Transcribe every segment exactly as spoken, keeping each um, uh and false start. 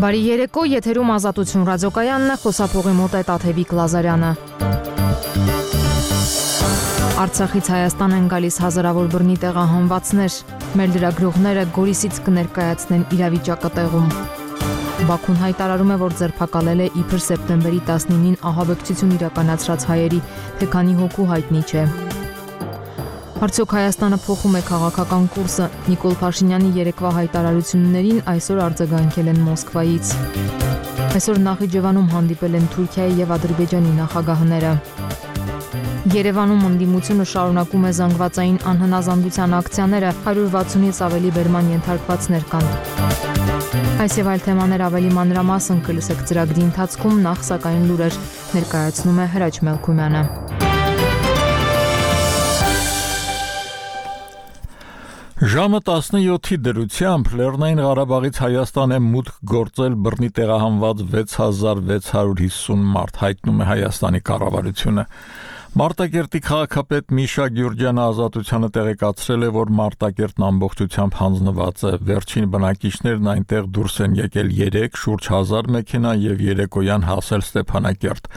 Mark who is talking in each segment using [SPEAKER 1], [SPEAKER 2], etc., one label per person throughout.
[SPEAKER 1] Բարի երեկո, եթերում Ազատություն ռադիոկայանն է, խոսափողի մոտ է Տաթևիկ Լազարյանը։ Արցախից Հայաստան են գալիս հազարավոր բռնի տեղահանվածներ, մեր լրագրողները Գորիսից կներկայացնեն իրավիճակը տեղում։ Բաքուն հայտարարում է, որ ձերբակալել է իբր սեպտեմբերի տասնինին ահաբեկչություն իրականացրած հայերի, թե քանի հոգու հայտնի չէ։ Արդյոք Հայաստանը փոխում է քաղաքական կուրսը, Նիկոլ Փաշինյանի երեկվա հայտարարություններին այսօր արձագանքել են Մոսկվայից։ Այսօր Նախիջևանում հանդիպել են Թուրքիայի եւ Ադրբեջանի նախագահները։ Երևանում ընդդիմությունը շարունակում է զանգվածային անհնազանդության ակցիաները, հարյուր վաթսունից ավելի բերման ենթարկվածներ կան։ Այս եւ այլ թեմաներ ավելի մանրամասն կլսեք ծրագրի ընթացքում, նախ սակայն լուրեր ներկայացնում է Հրաչ Մելքումյանը։
[SPEAKER 2] Ժամը տասնյոթի դրությամբ Լեռնային Ղարաբաղից Հայաստան է մուտք գործել բռնի տեղահանված վեց հազար վեց հարյուր հիսուն մարդ, հայտնում է Հայաստանի կառավարությունը։ Մարտակերտի քաղաքապետ Միշա Գյուրջյանը Ազատությանը տեղեկացրել է, որ Մարտակերտն ամբողջությամբ հանձնված է։ Վերջին բնակիչներն այնտեղ դուրս են եկել երեք, շուրջ հազար մեքենա եւ երեկոյան հասել Ստեփանակերտ։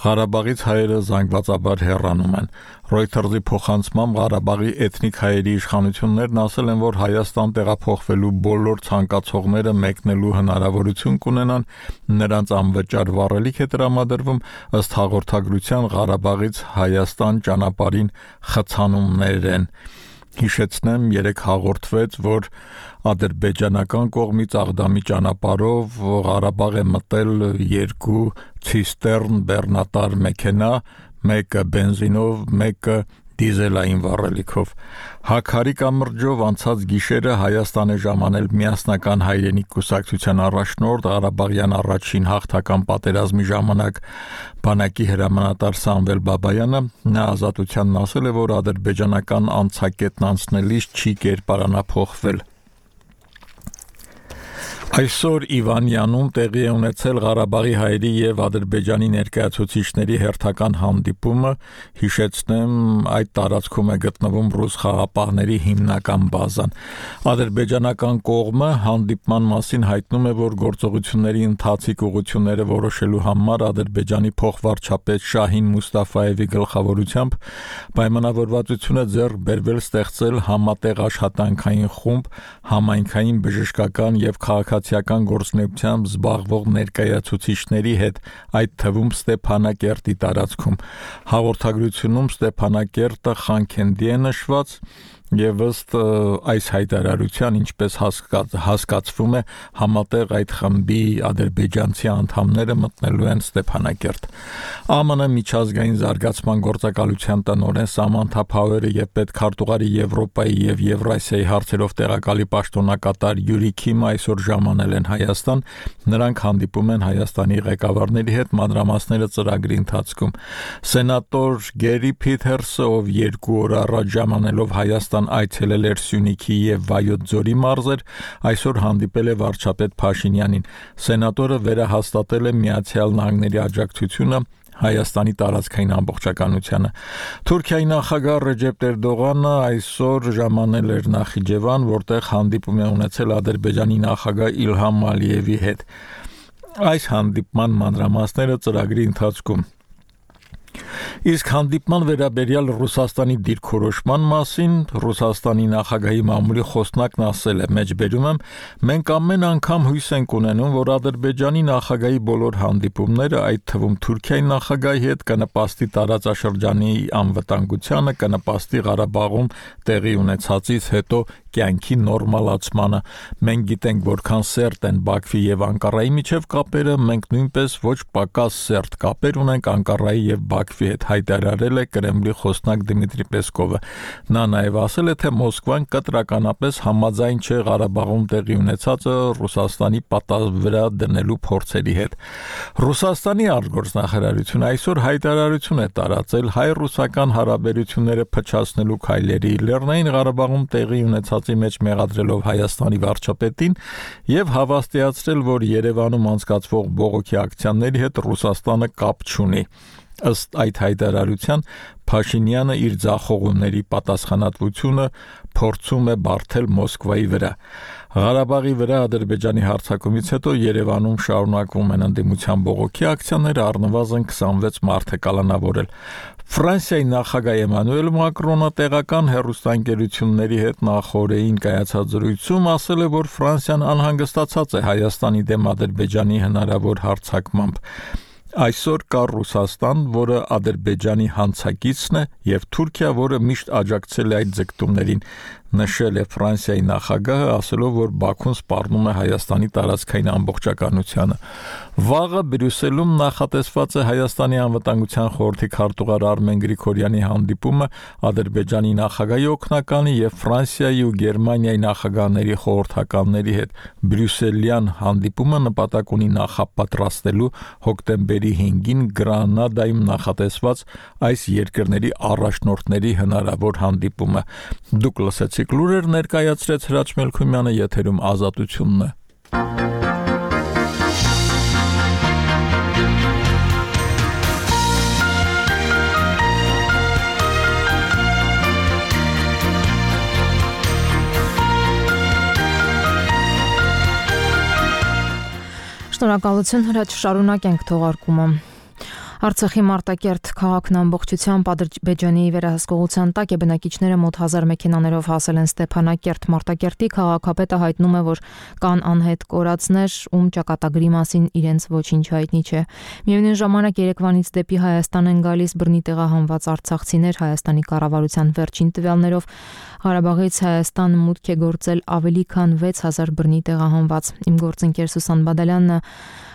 [SPEAKER 2] Ղարաբաղից հայերը զանգվածաբար հեռանում են։ Reuters-ի փոխանցմամբ Ղարաբաղի էթնիկ հայերի իշխանություններն ասել են, որ Հայաստան տեղափոխվելու բոլոր ցանկացողները մեկնելու հնարավորություն կունենան, նրանց անվճար վառելիք է տրամադրվում, ըստ հաղորդագրության Ղարաբաղից Հայաստան ճանապարհին խցանումներ են։ Հիշեցնեմ, երեք հաղորդվեց, որ ադրբեջանական կողմից Աղդամի ճանապարհով Ղարաբաղ է մտել երկու ցիստերն բեռնատար մեքենա, մեկը բենզինով, մեկը դիզելային վառելիքով։ Հաքարի կամրջով անցած գիշերը Հայաստան է ժամանել միասնական հայրենիք կուսակցության առաջնորդ Ղարաբաղյան առաջին հաղթական պատերազմի ժամանակ բանակի հրամանատար Սամվել Բաբայանը, նա Ազատությանն ասել է, որ ադրբեջանական անցակետն անցնելիս չի կերպարանափոխվել։ Այսօր Իվանյանում տեղի է ունեցել Ղարաբաղի հայերի եւ Ադրբեջանի ներկայացուցիչների հերթական հանդիպումը, հիշեցնեմ, այդ տարածքում է գտնվում ռուս խաղապահների հիմնական բազան։ Ադրբեջանական կողմը հանդիպման մասին հայտնում է, որ գործողությունների ընթացիկ ուղղությունները որոշելու համար Ադրբեջանի փոխվարչապետ Շահին Մուստաֆայևի գլխավորությամբ պայմանավորվածություն է ձեռք բերվել ստեղծել համատեղ աշխատանքային խումբ համայնքային բժշկական եւ քաղաքացիական գործունեությամբ զբաղվող ներկայացուցիչների հետ, այդ թվում Ստեփանակերտի տարածքում։ Հաղորդագրությունում Ստեփանակերտը Խանքենդի է նշված եւ ըստ այս հայտարարության, ինչպես հասկաց, հասկացվում է, համատեղ այդ խմբի ադրբեջանցի անդամները մտնելու են Ստեփանակերտ։ ԱՄՆ միջազգային զարգացման գործակալության տնօրեն Սամանթա Փաուերը եւ պետքարտուղարի Եվրոպայի եւ Եվրասիայի հարցերով տեղակալի պաշտոնակատար Յուրի Քիմը այսօր ժամանել են Հայաստան։ Նրանք հանդիպում են Հայաստանի ղեկավարների հետ, մանրամասները ծրագրի ընթացքում։ Սենատոր Գերի Փիթերսը, ով երկու օր առաջ ժամանելով Հայաստան այցելել էր Սյունիքի եւ Վայոց ձորի մարզեր, այսօր հանդիպել է վարչապետ Փաշինյանին։ Սենատորը վերահաստատել է Միացյալ Նահանգների աջակցությունը Հայաստանի տարածքային ամբողջականությանը։ Թուրքիայի նախագահ Ռեջեփ Էրդողանը այսօր ժամանել էր Նախիջևան, որտեղ հանդիպում է ունեցել Ադրբեջանի նախագահ Իլհամ Ալիևի հետ։ Այս հանդիպման մանրամասները ծրագրի ընթացքում։ Իսկ հանդիպման վերաբերյալ Ռուսաստանի դիրքորոշման մասին Ռուսաստանի նախագահի մամուլի խոսնակն ասել է. «Մեջբերում եմ, մենք ամեն անգամ հույս ենք ունենում, որ Ադրբեջանի նախագահի բոլոր հանդիպումները, այդ թվում Թուրքիայի նախագահի հետ, կնպաստի տարածաշրջանի անվտանգությանը, կնպաստի Ղարաբաղում տեղի ունեցածից հետո կյանքի նորմալացմանը։ Մենք գիտենք, որքան սերտ են Բաքվի եւ Անկարայի միջև կապերը, մենք նույնպես ոչ պակաս սերտ կապեր ունենք Անկարայի եւ Բաքվի հետ», հայտարարել է Կրեմլի խոսնակ Դմիտրի Պեսկովը։ Նա նաև ասել է, թե Մոսկվան կտրականապես համաձայն չէ Ղարաբաղում տեղի ունեցածը Ռուսաստանի պատասխան վրա դնելու փորձերի հետ։ Ռուսաստանի արտգործնախարարությունը այսօր հայտարարություն է տարածել հայ-ռուսական հարաբերությունները փչացնելու քայլերի, Լեռնային Ղարաբաղում տեղի ունեցածի մեջ մեղադրելով Հայաստանի վարչապետին եւ հավաստիացրել, որ Երևանում անցկացվող բողոքի ակցիաների հետ Ռուսաստանը կապ չունի։ Ըստ այդ հայտարարության Փաշինյանը իր ձախողումների պատասխանատվությունը փորձում է բարթել Մոսկվայի վրա։ Ղարաբաղի վրա Ադրբեջանի հարձակումից հետո Երևանում շարունակվում են ընդդիմության բողոքի ակցիաները, առնվազն քսանվեց մարդ է կալանավորել։ Ֆրանսիայի նախագահ Էմանուել Մակրոնը տեղական հեռուստաընկերությունների հետ նախորդին կայացած զրույցում ասել է, որ Ֆրանսիան անհանգստացած է Հայաստանի դեմ Ադրբեջանի հնարավոր հարձակմամբ։ Այսօր կա Ռուսաստան, որը Ադրբեջանի հանցագիծն է, եւ Թուրքիա, որը միշտ աջակցել է այդ ձգտումներին, նշել է Ֆրանսիայի նախագահը, ասելով, որ Բաքուն սպառնում է Հայաստանի տարածքային ամբողջականությանը։ Վաղը Բրյուսելում նախատեսված է Հայաստանի անվտանգության խորհրդի քարտուղար Արմեն Գրիգորյանի հանդիպումը Ադրբեջանի նախագահի օգնականի եւ Ֆրանսիայի ու Գերմանիայի նախագահների խորհրդականների հետ։ Բրյուսելյան հանդիպումը նպատակ ունի նախապատրաստելու հոկտեմբերի հինգին Գրանադայում նախատեսված այս երկրների առաջնորդների հնարավոր հանդիպումը։ Դուք լսեցիք լուրեր, ներկայացրեց Հրաչ Մելքումյանը, եթերում Ազատությունն է։
[SPEAKER 1] Շնորհակալություն, Հրաչ, շարունակենք թողարկումը։ Արցախի Մարտակերտ քաղաքն ամբողջությամբ Ադրբեջանի վերահսկողության տակ է, բնակիչները մոտ հազար մեքենաներով հասել են Ստեփանակերտ։ Մարտակերտի քաղաքապետը հայտնում է, որ կան անհետ կորածներ, ում ճակատագրի մասին իրենց ոչինչ հայտնի չէ։ Միևնույն ժամանակ Երևանից դեպի Հայաստան են գալիս բռնի տեղահանված արցախցիներ։ Հայաստանի կառավարության վերջին տվյալներով Ղարաբաղից Հայաստան մուտք է գործել ավելի քան վեց հազար բռնի տեղահանված։ Իմ գործընկեր Սուսան Բադալյանը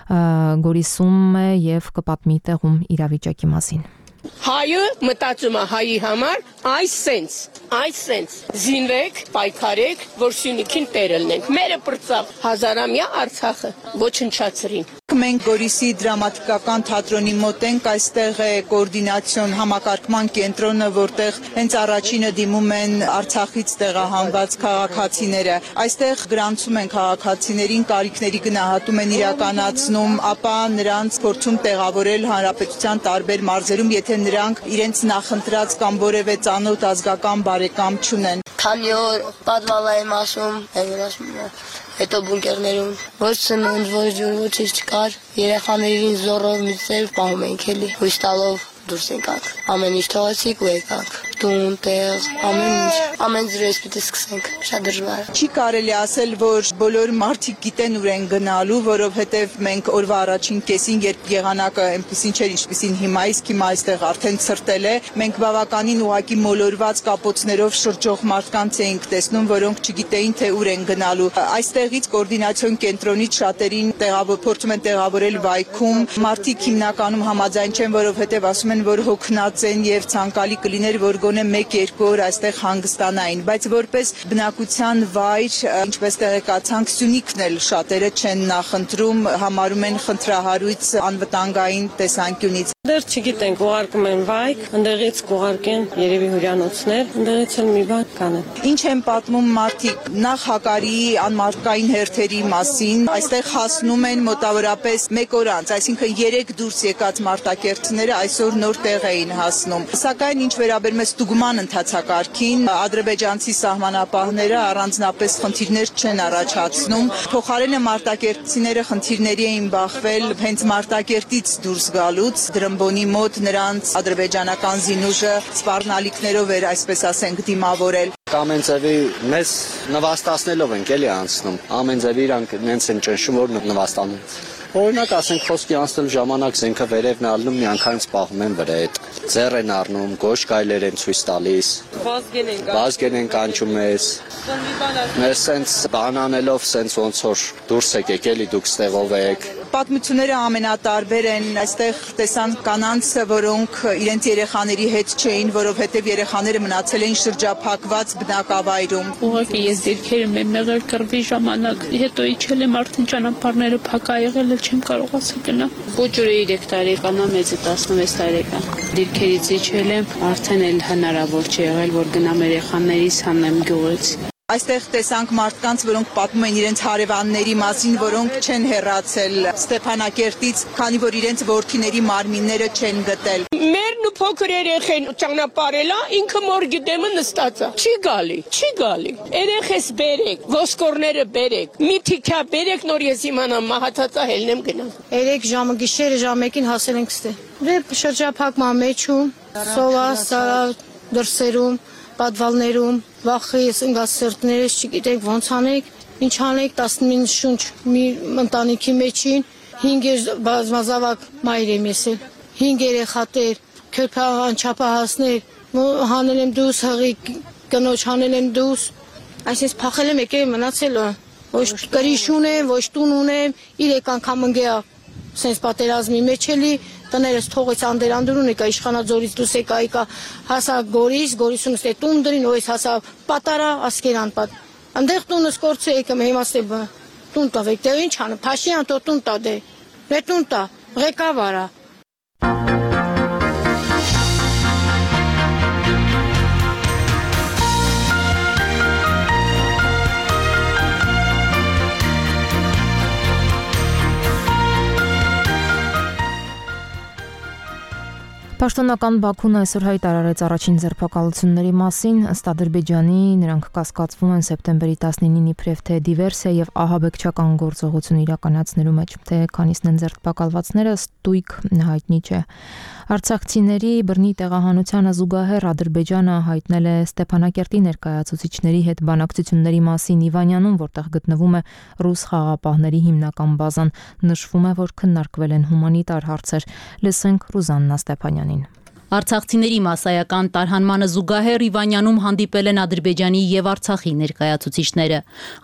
[SPEAKER 1] Գորիսում է եւ կպատմի տեղում իրավիճակի մասին։
[SPEAKER 3] Հայը մտածում է հայի համար այս սենց, այս սենց զինվեք, պայքարեք, որ Սյունիքին տերը լինենք։ Մերը պրծավ հազարամյա Արցախը ոչնչացրին։
[SPEAKER 4] Մենք Գորիսի դրամատիկական թատրոնի մոտ ենք, այստեղ է կոորդինացիոն համակարգման կենտրոնը, որտեղ հենց առաջինը դիմում են Արցախից տեղահանված քաղաքացիները։ Այստեղ գրանցում են քաղաքացիներին, կարիքների գնահատում են իրականացնում, ապա նրանց փորձում տեղավորել հանրապետության տարբեր մարզերում, եթե նրանք իրենց նախընտրած կամ որևէ ծանոթ ազգական բարեկամ չունեն։
[SPEAKER 5] Քանի օր պատվալա եմ ասում, ասում հետո բունկերներում ոչ սնունդ, ոչ ջուր, ոչինչ չկար, երեխաներին զոռով միստեր պահում ենք էլի, հույս տալով դուրս եկանք, ամեն ինչ թողեցիք ու եկանք, տուն, տեղ, ամեն ինչ, ամեն ձրես պիտի սկսենք, շատ դժվար է։
[SPEAKER 4] Չի կարելի ասել, որ բոլոր մարդիկ գիտեն ուր են գնալու, որովհետև մենք օրվա առաջին կեսին, երբ եղանակը այնպեսին չէր, ինչպեսին հիմա իսկ, հիմա այստեղ արդեն ցրտել է, մենք բավականին ուղղակի մոլորված կապոցներով շրջող մարդկանց էինք տեսնում, որոնք չգիտեին, թե ուր են գնալու։ Այստեղից կոորդինացիոն կենտրոնից շատերին տեղավոր փորձում են տեղավորել վայքում, մարդիկ հիմնականում համաձայն չեն, որովհետև ասում են, որ հոգնած են եւ ցանկալի կլիներ, որ գոնե մեկ-երկու օր այստեղ հանգստանային, բայց որպես բնակության վայր, ինչպես տեղեկացանք, Սյունիքն էլ շատերը չեն նախընտրում, համարում են խնդրահարույց անվտանգային տեսանկյունից։
[SPEAKER 3] Դեռ չգիտենք, ուղարկում են վայք, ընդեղից կուղարկեն երևի հյուրանոցներ, ընդեղից էլ մի բան կանեն։
[SPEAKER 4] Ինչ են պատմում մարդիկ նախ հակարի անմարդկային հերթերի մասին, այստեղ հասնում են մոտավորապես մեկ օր անց, այսինքն երեք դուրս եկած մարտակերտները այսօր նոր տեղ էին հասնում։ Սակայն ինչ վերաբերում է ստուգման ընթացակարգին, ադրբեջանցի սահմանապահները առանձնապես խնդիրներ չեն առաջացնում։ Փոխարենը մարտակերտցիները խնդիրների էին բախվել հենց Մարտակերտից դուրս գալուց, Դրմբոնի մոտ նրանց ադրբեջանական զինուժը սպառնալիքներով էր, այսպես ասենք, դիմավորել։
[SPEAKER 6] Ամեն ձևի մեզ նվաստացնելով ենք էլի անցնում, ամեն ձևի իրանք նենց են ճնշում, որ նվաստանում։ Օրինակ ասենք խոսքի անցնելու ժամանակ զենքը վերևն ալնում, միանգամից պահում են վրա հետ, ձեռ են առնում, գոշ գայլեր են ցույց տալիս, վազգեն են կանչում մեզ, մեզ սենց բանանելով սենց ոնց որ դուրս եկեք էլի դուք ստեղով եք։
[SPEAKER 4] Պատմությունները ամենատարբեր են, այստեղ տեսան կանանց, որոնք իրենց երեխաների հետ չէին, որովհետև երեխաները մնացել էին շրջափակված բնակավայրում։
[SPEAKER 7] Ուղղակի ես դիրքերում եմ եղել կռվի ժամանակ, հետո իջել եմ արդեն ճանապարհները փակ ա եղել, չեմ կարողացել գնալ։ Փոքրը երեք տարեկան է, մեծը տասնվեց տարեկան։ Դիրքերից իջել եմ, արդեն էլ հնարավոր չի եղել, որ գնամ երեխաներիս հանեմ գյուղից։
[SPEAKER 4] Այստեղ տեսանք մարդկանց, որոնք պատմում են իրենց հարևանների մասին, որոնք չեն հեռացել Ստեփանակերտից, քանի որ իրենց որդիների մարմինները չեն գտել։
[SPEAKER 3] Մերն ու փոքր երեխեն ճանապարհելա, ինքը մոր գդեմը նստած է։ Չի գալի, չի գալի։ Երեխես բերեք, ոսկորները բերեք։ Մի թիքա բերեք, նոր ես իմանամ մահացածա հելնեմ գնամ։
[SPEAKER 8] երեք ժամը գիշերը ժամ մեկին հասել ենք ստե։ Դե շրջափակման մեջում, սովա, սարա, դրսերում, պատվալներում, վախից ընկած սրտներս չգիտենք ոնց անենք, ինչ անենք, տասնինը շունչ մի ընտանիքի մեջին, հինգ բազմազավակ մայր եմ ես էլ, հինգ երեխատեր, քրփահան չափահասներ, հանել եմ դուս, հղի կնոջ հանել եմ դուս, այսինքն փախել եմ եկել մնացել, ոչ կրիշ ունեմ, ոչ տուն ունեմ, իրեք անգամ ընկեա, սենց պատերազմի մեջ էլի, տներս թողեց անդերանդուրուն եկա իշխանաձորից դուս եկա եկա հասա Գորիս, Գորիսունս է տուն դրին, ոյս հասա պատարա, ասկերան պատ։ Անդեղ տունս կորցե եկեմ, հիմա ստե տուն տավեք, դե ինչ անը, Փաշյան տո տուն տա դե, դե տուն տա, ղեկավարա։
[SPEAKER 1] Պաշտոնական Բաքուն այսօր հայտարարեց առաջին ձերբակալությունների մասին, ըստ Ադրբեջանի նրանք կասկածվում են սեպտեմբերի տասնինին իբրև թե դիվերսիա եւ ահաբեկչական գործողություն իրականացնելու մեջ, թե քանիսն են ձերբակալվածները ստույգ հայտնի չէ։ Արցախցիների բռնի տեղահանությանը զուգահեռ Ադրբեջանը հայտնել է Ստեփանակերտի ներկայացուցիչների հետ բանակցությունների մասին Իվանյանում, որտեղ գտնվում է ռուս խաղապահների հիմնական բազան, նշվում է, որ քննարկվել են հումանիտար հարցեր։ Լսենք Ռուզաննա Ստեփանյանին։
[SPEAKER 9] Արցախցիների մասսայական տարհանմանը զուգահեռ Իվանյանում հանդիպել են Ադրբեջանի եւ Արցախի ներկայացուցիչները։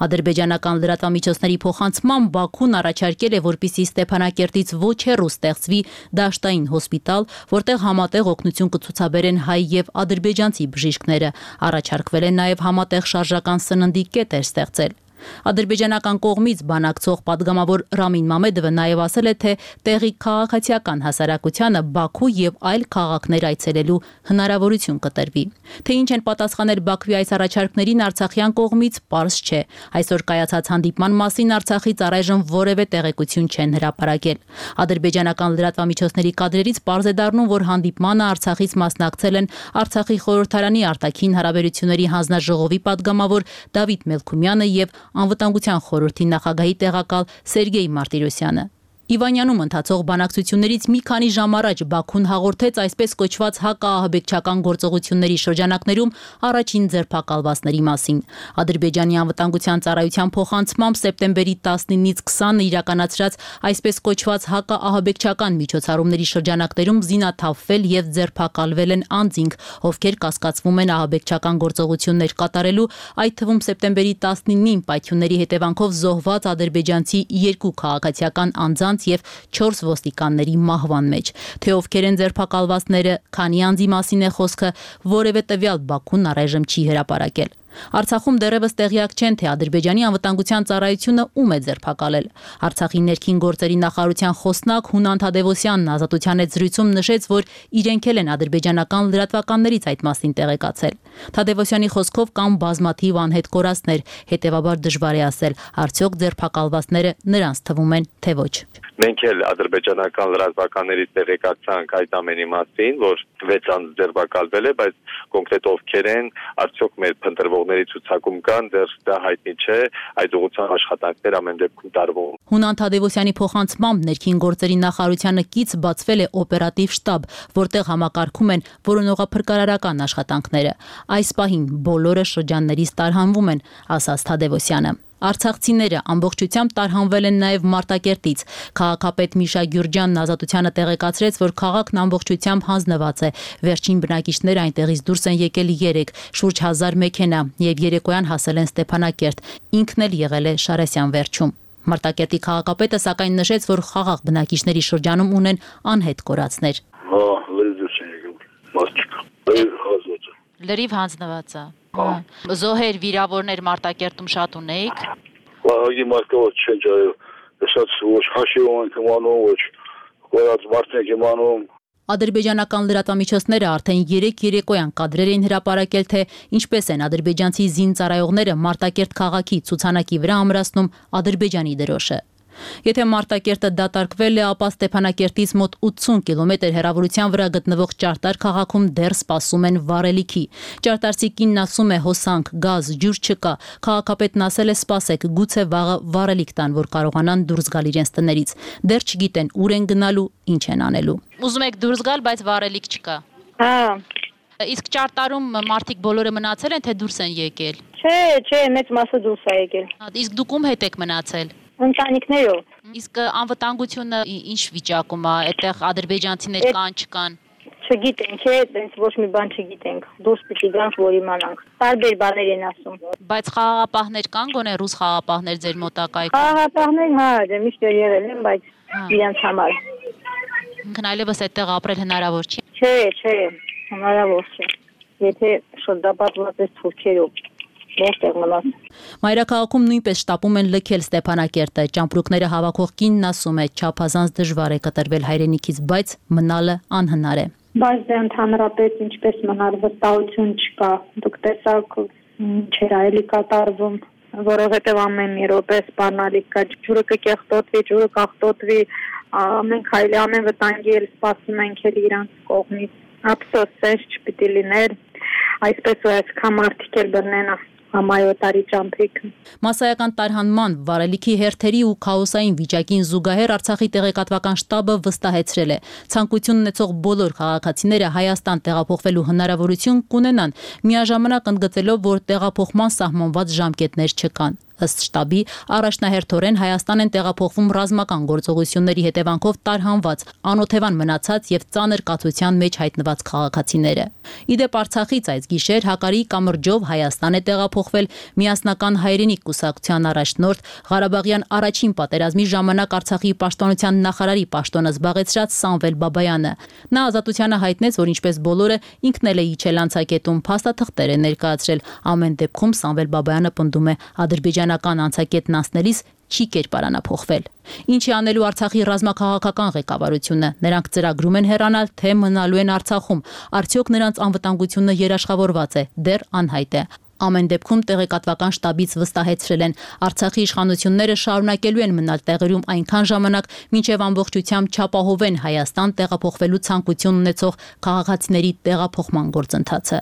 [SPEAKER 9] Ադրբեջանական լրատվամիջոցների փոխանցմամբ Բաքուն առաջարկել է, որպեսզի Ստեփանակերտից ոչ հեռու ստեղծվի դաշտային հոսպիտալ, որտեղ համատեղ օգնություն կցուցաբերեն հայ եւ ադրբեջանցի բժիշկները։ Առաջարկվել է նաեւ համատեղ շարժական սննդի կետեր ստեղծել։ Ադրբեջանական կողմից բանակցող падգամավոր Ռամին Մամեդովը նաև ասել է, թե տեղի քաղաքացիական հասարակությանը Բաքու եւ այլ քաղաքներ այցելելու հնարավորություն կտրվի։ Թե ինչ են պատասխանել Բաքվի այս առաջարկներին Արցախյան կողմից պարզ չէ։ Այսօր կայացած հանդիպման մասին Արցախից առայժմ որևէ տեղեկություն չեն հրապարակել։ Ադրբեջանական լրատվամիջոցների կադրերից պարզ է դառնում, որ հանդիպմանը Արցախից մասնակցել են Արցախի խորհրդարանի արտաքին հարաբերությունների հանձնաժողովի падգամավոր Դավիթ Մելքումյանը եւ Անվտանգության խորհրդի նախագահի տեղակալ Սերգեյ Մարտիրոսյանը։ Իվանյանում ընթացող բանակցություններից մի քանի ժամ առաջ Բաքուն հաղորդեց այսպես կոչված հակաահաբեկչական գործողությունների շրջանակներում առաջին ձերբակալվածների մասին։ Ադրբեջանի անվտանգության ծառայության փոխանցմամբ սեպտեմբերի տասնինից քսանը իրականացրած այսպես կոչված հակաահաբեկչական միջոցառումների շրջանակներում զինաթափվել եւ ձերբակալվել են անձինք, ովքեր կասկածվում են ահաբեկչական գործողություններ կատարելու, այդ թվում սեպտեմբերի տասնինին պայթյունների հետևանքով զոհված ադրբեջանցի երկու քաղաքացիական անձանց եւ չորս ոստիկանների մահվան մեջ։ Թե ովքեր են ձերբակալվածները, քանի անձի մասին է խոսքը, որևէ տվյալ Բաքուն առայժմ չի հրապարակել։ Արցախում դեռևս տեղյակ չեն, թե Ադրբեջանի անվտանգության ծառայությունը ում է ձերբակալել։ Արցախի ներքին գործերի նախարարության խոսնակ Հունան Թադևոսյանն Ազատության հետ զրույցում նշեց, որ իրենք էլ են ադրբեջանական լրատվականներից այդ մասին տեղեկացել։ Թադևոսյանի խոսքով կան բազմաթիվ անհետ կորածներ, հետևաբար դժվար է ասել, արդյոք ձերբակալվածները նրանց թվում են, թե ոչ։
[SPEAKER 10] Մենք էլ ադրբեջանական լրատվականներից տեղեկացանք այդ ամենի մասին, որ վեց անձ ձերբակալվել է, բայց կոնկրետ ովքեր են, արդյոք մեր փնտրվողների ցուցակում կան, դեռ դա հայտնի չէ, այդ ուղղությամբ աշխատանքներ ամեն դեպքում տարվում։
[SPEAKER 9] Հունան Թադևոսյանի փոխանցմամբ ներքին գործերի նախարարությանը կից բացվել է օպերատիվ շտաբ, որտեղ համակարգում են որոնողափրկարարական աշխատանքները։ Այս պահին բոլորը շրջաններից տարհանվում են, ասաց Թադևոսյանը։ Արցախցիները ամբողջությամբ տարհանվել են նաև Մարտակերտից։ Քաղաքապետ Միշա Գյուրջյանն Ազատությանը տեղեկացրեց, որ քաղաքն ամբողջությամբ հանձնված է։ Վերջին բնակիչները այնտեղից դուրս են եկել երեք, շուրջ հազար մեքենա եւ երեկոյան հասել են Ստեփանակերտ։ Ինքն էլ եղել է Շարասյան վերջում։ Մարտակերտի քաղաքապետը սակայն նշեց, որ խաղաղ բնակիչների շրջանում ունեն անհետ կորածներ։
[SPEAKER 11] Հա, լրիվ չեն եկել։ Մասչիկ։ Հազոց։
[SPEAKER 9] Լրիվ հանձնված է։ Զոհեր, վիրավորներ Մարտակերտում շատ ունեիք։
[SPEAKER 11] Վաղի մարդկավոր չեն ջայել, ասած ոչ հաշիվ ենք իմանում, ոչ կորած մարդ ենք իմանում։
[SPEAKER 9] Ադրբեջանական լրատվամիջոցները արդեն երեք երեկոյան կադրեր էին հրապարակել, թե ինչպես են ադրբեջանցի զինծառայողները Մարտակերտ քաղաքի ցուցանակի վրա ամրացնում Ադրբեջանի դրոշը։ Եթե Մարտակերտը դատարկվել է, ապա Ստեփանակերտից մոտ ութսուն կիլոմետր հեռավորության վրա գտնվող Ճարտար քաղաքում դեռ սպասում են վառելիքի։ Ճարտարցի կինն ասում է՝ հոսանք, գազ, ջուր չկա։ Քաղաքապետն ասել է՝ սպասեք, գուցե վաղը վառելիք տան, որ կարողանան դուրս գալ իրենց տներից։ Դեռ չգիտեն ուր են գնալու, ինչ են անելու։ Ուզում եք դուրս գալ, բայց վառելիք չկա։
[SPEAKER 12] Հա։
[SPEAKER 9] Իսկ Ճարտարում մարդիկ բոլորը մնացել են, թե դուրս են եկել։
[SPEAKER 12] Չէ, չէ, մեծ մասը դուրս է եկել։
[SPEAKER 9] Իսկ դուք ում հետ եք մնացել։
[SPEAKER 12] Ընտանիքներով։
[SPEAKER 9] Իսկ անվտանգությունը ինչ վիճակում է, այդտեղ ադրբեջանցիներ կան, չկան։
[SPEAKER 12] Չգիտենք, այդպես ոչ մի բան չգիտենք։ Դուրս պիտի գանք, որ իմանանք։ Տարբեր բաներ են ասում։
[SPEAKER 9] Բայց խաղաղապահներ կան, գոնե ռուս խաղաղապահներ ձեր մոտակայքում։
[SPEAKER 12] Խաղաղապահներ, հա, դե միշտ եղել են, բայց իրենց համար։
[SPEAKER 9] Ինքն այլևս այդտեղ ապրել հնարավոր չի։
[SPEAKER 12] Չէ, չէ, հնարավոր չէ։ Եթե շրջապատված ես թուրքերով։
[SPEAKER 9] Մայրաքաղաքում նույնպես շտապում են լքել Ստեփանակերտը։ Ճամպրուկները հավաքող կինն ասում է՝ չափազանց դժվար է կտրվել հայրենիքից, բայց մնալը անհնար է։
[SPEAKER 12] Բայց դե ընդհանրապես ինչպես մնալ, վստահություն չկա։ Դուք տեսաք չէր այլի կատարվում, որովհետև ամեն մի րոպե սպառնալիք կա, ջուրը կկեղտոտվի, ջուրը կախտոտվի, ամեն քայլի, ամեն վտանգի էլ սպասում ենք էլ իրանց կողմից։ Ափսոս, սենց չպիտի լիներ, այսպես ու այսքան մարդիկ էլ բռնեն համայոտարի ճամփրիքը։
[SPEAKER 9] Մասսայական տարհանման, վառելիքի հերթերի ու քաոսային վիճակին զուգահեռ Արցախի տեղեկատվական շտաբը վստահեցրել է՝ ցանկություն ունեցող բոլոր քաղաքացիները Հայաստան տեղափոխվելու հնարավորություն կունենան, միաժամանակ ընդգծելով, որ տեղափոխման սահմանված ժամկետներ չկան։ Ըստ շտաբի, առաջնահերթորեն Հայաստան են տեղափոխվում ռազմական գործողությունների հետևանքով տարհանված, անօթևան մնացած եւ ծանր կացության մեջ հայտնված քաղաքացիները։ Իդեպ Արցախից այս գիշեր Հակարի կամրջով Հայաստան է տեղափոխվել Միասնական հայրենիք կուսակցության առաջնորդ, Ղարաբաղյան առաջին պատերազմի ժամանակ Արցախի պաշտպանության նախարարի պաշտոնը զբաղեցրած Սամվել Բաբայանը։ Նա Ազատությանը հայտնեց, որ ինչպես բոլորը ինքն էլ է իջել անցակետում, փաստաթղթեր է ներկայացրել։ Ամեն դեպքում Սամվել Բաբայանը պնդում է ադրբեջանական անցակետն անցնելիս չի կերպարանափոխվել։ Ինչի անելու Արցախի ռազմաքաղաքական ղեկավարությունը։ Նրանք ծրագրում են հեռանալ, թե մնալու են Արցախում։ Արդյոք նրանց անվտանգությունը երաշխավորված է, դեռ անհայտ է։ Ամեն դեպքում տեղեկատվական շտաբից վստահեցրել են, Արցախի իշխանությունները շարունակելու են մնալ տեղերում այնքան ժամանակ, մինչև ամբողջությամբ չապահովեն Հայաստան տեղափոխվելու ցանկություն ունեցող քաղաքացիների տեղափոխման գործընթացը։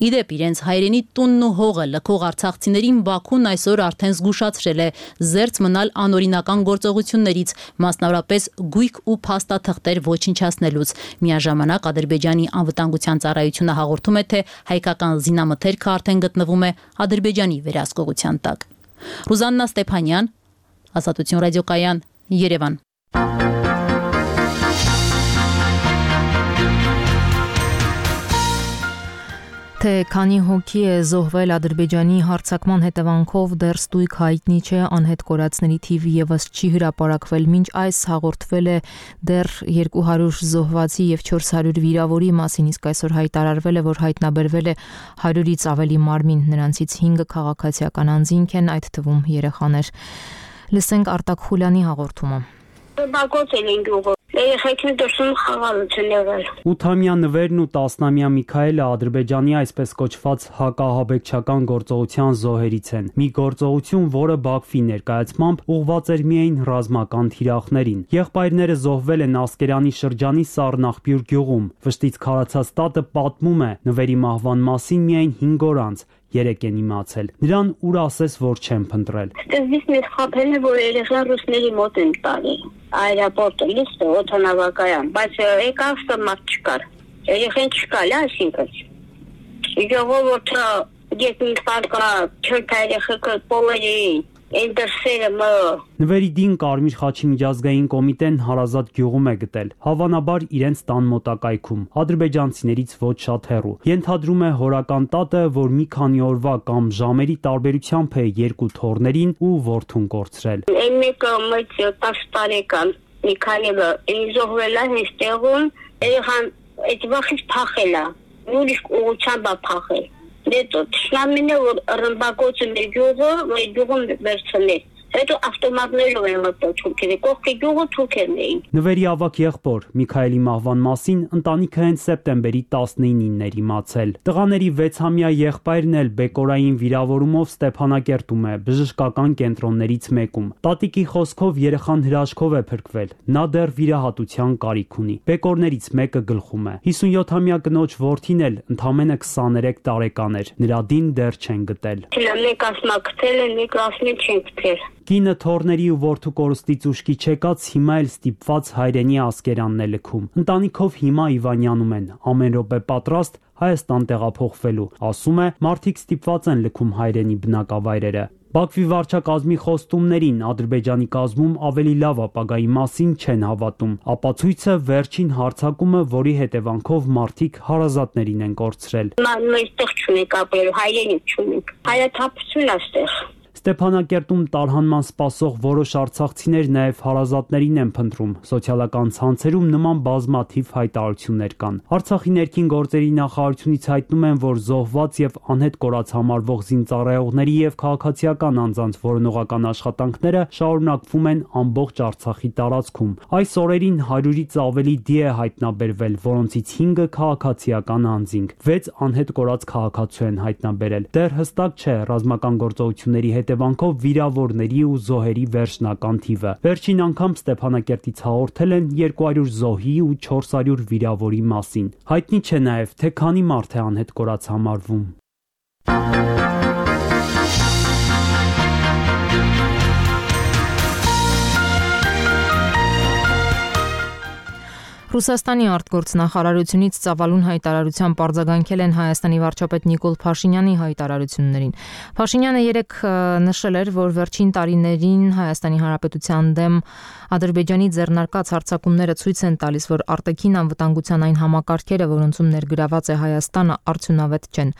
[SPEAKER 9] Իդեպ իրենց հայրենի տունն ու հողը լքող արցախցիներին Բաքուն այսօր արդեն զգուշացրել է զերծ մնալ անօրինական գործողություններից, մասնավորապես գույք ու փաստաթղթեր ոչնչացնելուց։ Միաժամանակ Ադրբեջանի անվտանգության ծառայությունը հաղորդում է, թե հայկական զինամթերքը արդեն գտնվում է Ադրբեջանի վերահսկողության տակ։ Ռուզաննա Ստեփանյան, Ազատություն ռադիոկայան, Երևան։
[SPEAKER 1] Թե քանի հոգի է զոհվել Ադրբեջանի հարձակման հետևանքով դեռ ստույգ հայտնի չէ, անհետ կորածների թիվը եւս չի հրապարակվել, մինչ այս հաղորդվել է դեռ երկու հարյուր զոհվածի եւ չորս հարյուր վիրավորի մասին, իսկ այսօր հայտարարվել է, որ հայտնաբերվել է հարյուրից ավելի մարմին, նրանցից հինգը քաղաքացիական անձինք են, այդ թվում երեխաներ։ Լսենք Արտակ Խուլյանի հաղորդումը։
[SPEAKER 12] Բակոց են ինգուղը։ Երեխեքին դրսում խաղալ չեն եղել։
[SPEAKER 13] ութամյա նվերն ու տասնամյա Միքայելը Ադրբեջանի այսպես կոչված հակահաբեկչական գործողության զոհերից են։ Մի գործողություն, որը Բաքվի ներկայացմամբ ուղղված էր միայն ռազմական թիրախներին։ Եղբայրները զոհվել են Ասկերանի շրջանի Սառնախբյուր գյուղում։ Վշտից քարացած տատը պատմում է, նվերի մահվան մասին միայն հինգ օր անց երեք են իմացել։ Նրան ուր ասես, որ չեն փնտրել։
[SPEAKER 12] Սկզբից մեզ խաբել է, որ երեխան ռուսների մոտ են տալի։ Այրապորտը լիստը օդանավակայան, բայց եկավ մարդ չկար։ Երեխան չկալ, այսինքն։ Ժողովուրդը գետին պարկա չորթ երեխեքը պոլերի Այն դրսերը մը
[SPEAKER 13] Նվերի դին Կարմիր խաչի միջազգային կոմիտեն Հարազատ գյուղում է գտել, հավանաբար իրենց տան մոտակայքում, ադրբեջանցիներից ոչ շատ հեռու։ Ենթադրում է հորական տատը, որ մի քանի օրվա կամ ժամերի տարբերությամբ է երկու թոռներին ու որդուն կորցրել։
[SPEAKER 12] Այն մեկը մեծ տասը տարեկան Միքայելը զոհվել է այստեղում, երեխան այդ վախից փախել է, ուրիշ ուղղությամբ փախել։ Դե տոտ շնամինը որ ռմբակոծը մեր գյուղը, մեր գյուղում վերցնել։
[SPEAKER 14] Հետո ավտոմատներով են մտել թուրքերը, կողքի գյուղը թուրքերն էին։
[SPEAKER 13] Նվերի ավագ եղբոր Միքայելի մահվան մասին ընտանիքը հենց սեպտեմբերի տասնինին էր իմացել։ Տղաների վեցամյա եղբայրն էլ բեկորային վիրավորումով Ստեփանակերտում է, բժշկական կենտրոններից մեկում։ Տատիկի խոսքով երեխան հրաշքով է փրկվել։ Նա դեռ վիրահատության կարիք ունի։ Բեկորներից մեկը գլխում է։ հիսունյոթամյա կնոջ որդին էլ ընդամենը քսաներեք տարեկան էր։ Նրա դին դեռ չեն գտել։
[SPEAKER 14] Մեկ ասմա գտել են, մեկ ասմին չեն գտել։
[SPEAKER 13] Կինը թորների ու որդու կորստից ուշքի չեկած հիմա էլ ստիպված հայրենի ասկերանն է լքում։ Ընտանիքով հիմա Իվանյանում են, ամեն րոպե պատրաստ Հայաստան տեղափոխվելու։ Ասում է, մարդիկ ստիպված են լքում հայրենի բնակավայրերը։ Բաքվի վարչակազմի խոստումներին Ադրբեջանի կազմում ավելի լավ ապագայի մասին չեն հավատում։ Ապացույցը վերջին հարձակումը, որի հետևանքով մարդիկ հարազատներին են կորցրել։
[SPEAKER 14] Մենք այստեղ չունենք ապրելու, հայրենիք չունենք։ Հայաթափություն է այստեղ։
[SPEAKER 13] Ստեփանակերտում տարհանման սպասող որոշ արցախցիներ նաև հարազատներին են փնտրում։ Սոցիալական ցանցերում նման բազմաթիվ հայտարարություններ կան։ Արցախի ներքին գործերի նախարարությունից հայտնում են, որ զոհված եւ անհետ կորած համարվող զինծառայողների եւ քաղաքացիական անձանց որոնողական աշխատանքները շարունակվում են ամբողջ Արցախի տարածքում։ Այս օրերին հարյուրից ավելի դի է հայտնաբերվել, որոնցից հինգը քաղաքացիական անձինք, վեց անհետ կորած քաղաքացու են հայտնաբերել։ Դեռ հստակ չէ ռազմական գործողությունների հետևանքով վիրավորների ու զոհերի վերջնական թիվը։ Վերջին անգամ Ստեփանակերտից հաղորդել են երկու հարյուր զոհի ու չորս հարյուր վիրավորի մասին։ Հայտնի չէ նաև, թե քանի մարդ է անհետ կորած համարվում։
[SPEAKER 1] Ռուսաստանի արտգործնախարարությունից ծավալուն հայտարարության պարզագանքել են Հայաստանի վարչապետ Նիկոլ Փաշինյանի հայտարարություններին։ Փաշինյանը երեկ նշել էր, որ վերջին տարիներին Հայաստանի Հանրապետության դեմ Ադրբեջանի ձեռնարկած հարձակումները ցույց են տալիս, որ արտաքին անվտանգության այն համակարգերը, որոնցում ներգրաված է Հայաստանը, արդյունավետ չեն։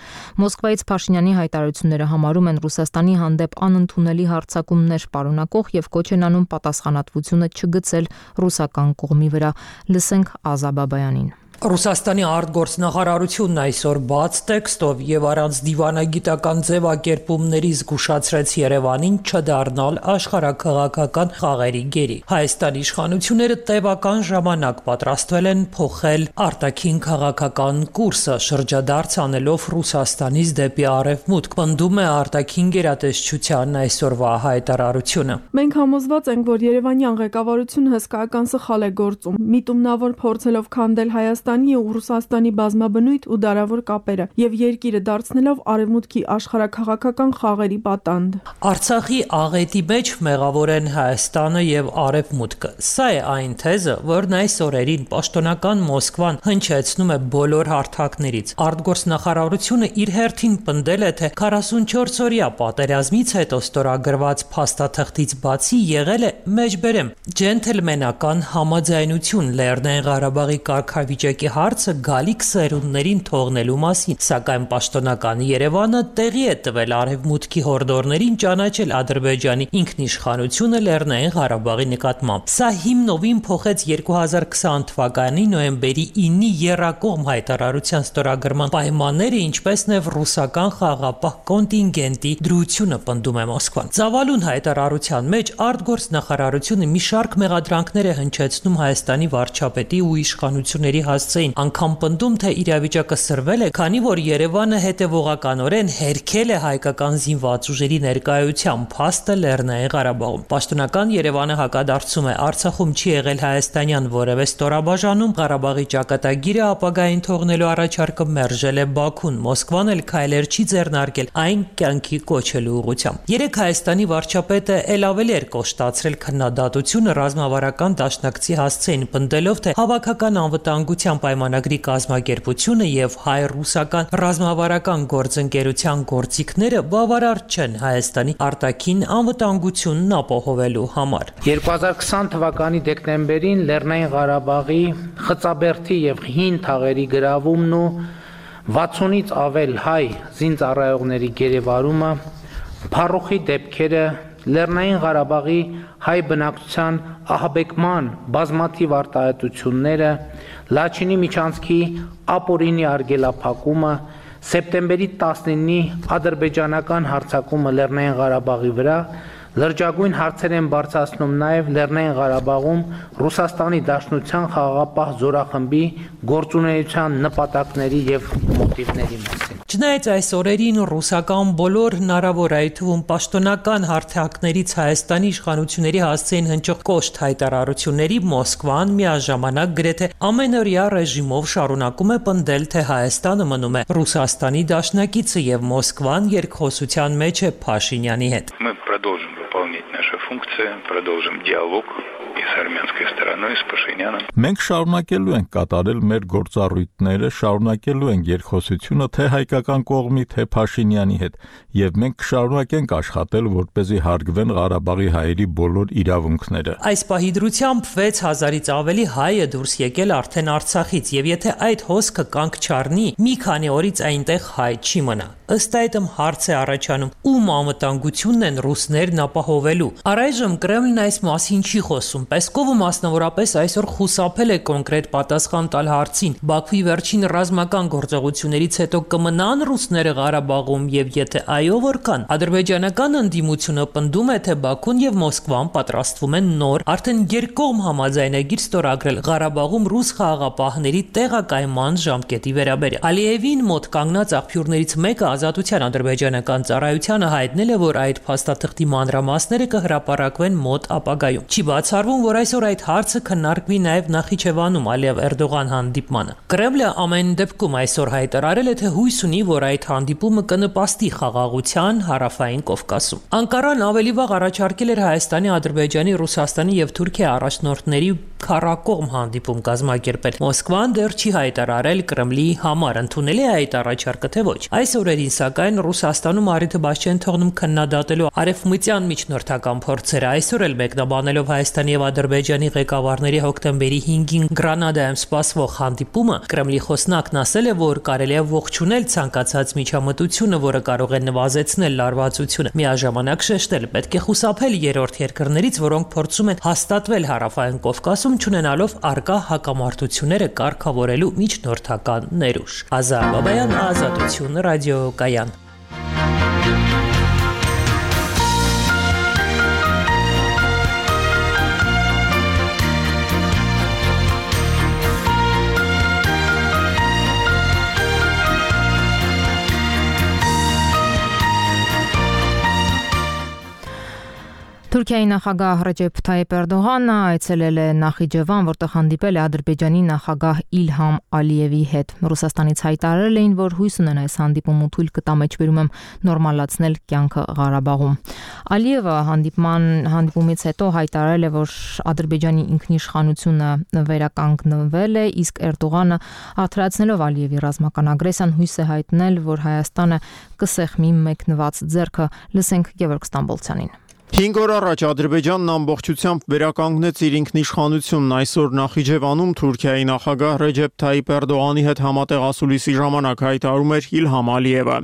[SPEAKER 1] Մոսկվայից Փաշինյանի հայտարարությունները համարում են Ռուսաստանի հանդեպ անընդունելի հարձակումներ պարունակող եւ կոչ են անում պատասխանատվությունը չգցել ռուսական կողմի վրա։ Լսենք Ազա Բաբայանին։
[SPEAKER 15] Ռուսաստանի արտգործնախարարությունն այսօր բաց տեքստով եւ առանց դիվանագիտական ձևակերպումների զգուշացրեց Երևանին չդառնալ աշխարհաքաղաքական խաղերի գերի։ Հայաստանի իշխանությունները տևական ժամանակ պատրաստվել են փոխել արտաքին քաղաքական կուրսը, շրջադարձ անելով Ռուսաստանից դեպի արևմուտք, պնդում է արտաքին գերատեսչության այսօրվա հայտարարությունը։
[SPEAKER 16] Մենք համոզված ենք, որ Երևանյան ղեկավարությունը հսկայական սխալ է գործում, միտումնավոր փորձելով քանդել Հայաստան ու Ռուսաստանի բազմաբնույթ ու դարավոր կապերը եւ երկիրը դարձնելով արևմուտքի աշխարհաքաղաքական խաղերի պատանդ։
[SPEAKER 15] Արցախի աղետի մեջ մեղավոր են Հայաստանը եւ արևմուտքը։ Սա է այն թեզը, որն այս օրերին պաշտոնական Մոսկվան հնչեցնում է բոլոր հարթակներից։ Արտգործնախարարությունը իր հերթին պնդել է, թե քառասունչորս օրյա պատերազմից հետո ստորագրված փաստաթղթից բացի եղել է մեջբերեմ ջենթլմենական համաձայնություն Լեռնային Ղարաբաղի կարգավիճակի հարցը գալիք սերունդներին թողնելու մասին, սակայն պաշտոնական Երևանը տեղի է տվել արևմուտքի հորդորներին ճանաչել Ադրբեջանի ինքնիշխանությունը Լեռնային Ղարաբաղի նկատմամբ։ Սա հիմնովին փոխեց երկու հազար քսան թվականի նոյեմբերի ինի եռակողմ հայտարարության ստորագրման պայմանները, ինչպես նաև ռուսական խաղապահ կոնտինգենտի դրությունը, պնդում է Մոսկվան։ Ծավալուն հայտարարության մեջ արտգործնախարարությունը մի շարք մեղադրանքներ է հնչեցնում Հայաստանի վարչապետի ու իշխանությունների հասցեին, անգամ պնդում, թե իրավիճակը սրվել է, քանի որ Երևանը հետևողականորեն հերքել է հայկական զինված ուժերի ներկայության փաստը Լեռնային Ղարաբաղում։ Պաշտոնական Երևանը հակադարձում է, Արցախում չի եղել հայաստանյան որևէ ստորաբաժանում, Ղարաբաղի ճակատագիրը ապագային թողնելու առաջարկը մերժել է Բաքուն, Մոսկվան էլ քայլեր չի ձեռնարկել այն կյանքի կոչելու ուղղությամբ։ Երեք Հայաստանի վարչապետը ել ավելի էր կոշտացրել քննադատությունը ռազմավարական դաշնակցի հասցեին, պնդելով, թե հավաքական անվտանգության պայմանագրի կազմակերպությունը եւ հայ-ռուսական ռազմավարական գործընկերության գործիքները բավարար չեն Հայաստանի արտաքին անվտանգությունն ապահովելու համար։
[SPEAKER 17] երկու հազար քսան թվականի դեկտեմբերին Լեռնային Ղարաբաղի Խծաբերդի եւ Հին թաղերի գրավումն ու վաթսունից ավել հայ զինծառայողների գերեվարումը, փառուխի դեպքերը, Լեռնային Ղարաբաղի հայ բնակչության ահաբեկման բազմաթիվ արտահայտությունները, Լաչինի միջանցքի ապօրինի արգելափակումը, սեպտեմբերի տասնինի ադրբեջանական հարձակումը Լեռնային Ղարաբաղի վրա Լրջագույն հարցեր են բարձրացնում նաև Լեռնային Ղարաբաղում Ռուսաստանի Դաշնության խաղաղապահ զորախմբի գործունեության նպատակների եւ մոտիվների մասին։
[SPEAKER 15] Չնայած այս օրերին ռուսական բոլոր հնարավոր այդ թվում պաշտոնական հարթակներից Հայաստանի իշխանությունների հասցեին հնչող կոշտ հայտարարությունների Մոսկվան միաժամանակ գրեթե ամենօրյա ռեժիմով շարունակում է պնդել, թե Հայաստանը մնում է Ռուսաստանի դաշնակիցը եւ Մոսկվան երկխոսության մեջ է Փաշինյանի հետ։
[SPEAKER 18] Мы продолжим выполнять наши функции, продолжим диалог и с армянской стороной, и с Пашиняном.
[SPEAKER 2] Մենք շարունակելու ենք կատարել մեր գործառույթները, շարունակելու ենք երկխոսությունը թե հայկական կողմի, թե Փաշինյանի հետ, եւ մենք կշարունակենք աշխատել, որպեսզի հարգվեն Ղարաբաղի հայերի բոլոր իրավունքները։
[SPEAKER 15] Այս պահի դրությամբ վեց հազարից ավելի հայ է դուրս եկել արդեն Արցախից, եւ եթե այդ հոսքը կանգ չառնի, մի քանի օրից այնտեղ հայ չի մնա։ Ըստ այդմ հարց է առաջանում, ում անվտանգությունն են ռուսներն ապահովելու։ Առայժմ Կրեմլն այս մասին չի խոսում։ Պեսկովը մասնավորապես այսօր խուսափել է կոնկրետ պատասխան տալ հարցին։ Բաքվի վերջին ռազմական գործողություններից հետո կմնան ռուսները Ղարաբաղում եւ եթե այո, որքան։ Ադրբեջանական ընդդիմությունը պնդում է, թե Բաքուն եւ Մոսկվան պատրաստվում են նոր, արդեն երկկողմ համաձայնագիր ստորագրել Ղարաբաղում ռուս խաղաղապահների տեղակայման ժամկետի վերաբերյալ։ Ալիևին մոտ կանգնած աղբյուրներից մեկը Ազատության ադրբեջանական ծառայությանը հայտնել է, որ այդ փաստաթղթի մանրամասները կհրապարակվեն մոտ ապագայում։ Չի բացառվում, որ այսօր այդ հարցը քննարկվի նաև Նախիջևանում Ալիև-Էրդողան հանդիպմանը։ Կրեմլը ամեն դեպքում այսօր հայտարարել է, թե հույս ունի, որ այդ հանդիպումը կնպաստի խաղաղության Հարավային Կովկասում։ Անկարան ավելի վաղ առաջարկել էր Հայաստանի, Ադրբեջանի, Ռուսաստանի եւ Թուրքիայի առաջնորդների քառակողմ հանդիպում կազմակերպել։ Մոսկվան դեռ չի հայտարարել Կրեմլի համար ընդունել է այդ առաջարկը, թե ոչ։ Այս օրերին սակայն Ռուսաստանում առիթը բաց չեն թողնում քննադատելու արևմտյան միջնորդական փորձերը։ Այսօր էլ մեկնաբանելով Հայաստանի եւ Ադրբեջանի ղեկավարների հոկտեմբերի հինգին Գրանադայում սպասվող հանդիպումը, Կրեմլի խոսնակն ասել է, որ կարելի է ողջունել ցանկացած միջամտությունը, որը կարող է նվազեցնել լարվածությունը։ Միաժամանակ շեշտել, պետք է խուսափել երրորդ երկրներից, որոնք փորձում են հաստատվել Հարավային Կովկասում, չունենալով արկա հակամարտությունները կարգավորելու միջնորդական ներուժ։ Ազար Բաբայան, Ազատություն, ռադիոկայան։
[SPEAKER 1] Թուրքիայի նախագահ Ռեջեփ Թայիփ Էրդողանը այցելել է Նախիջևան, որտեղ հանդիպել է Ադրբեջանի նախագահ Իլհամ Ալիևի հետ։ Ռուսաստանից հայտարարել էին, որ հույս ունեն այս հանդիպումը թույլ կտա մեջբերում նորմալացնել կյանքը Ղարաբաղում։ Ալիևը հանդիպման հանդիպումից հետո հայտարարել է, որ Ադրբեջանի ինքնիշխանությունը վերականգնվել է, իսկ Էրդողանը արտահայտելով Ալիևի ռազմական ագրեսիան հույս է հայտնել, որ Հայաստանը կսեղմի մեկնված ձեռքը։ Լսենք Գևորգ Ստամբոլցյանին։
[SPEAKER 19] Հինգ օր առաջ Ադրբեջանն ամբողջությամբ վերականգնեց իր ինքնիշխանությունն։ Այսօր Նախիջևանում Թուրքիայի նախագահ Ռեջեփ Թայիփ Էրդողանի հետ համատեղ ասուլիսի ժամանակ հայտարարում էր Իլհամ Ալիևը։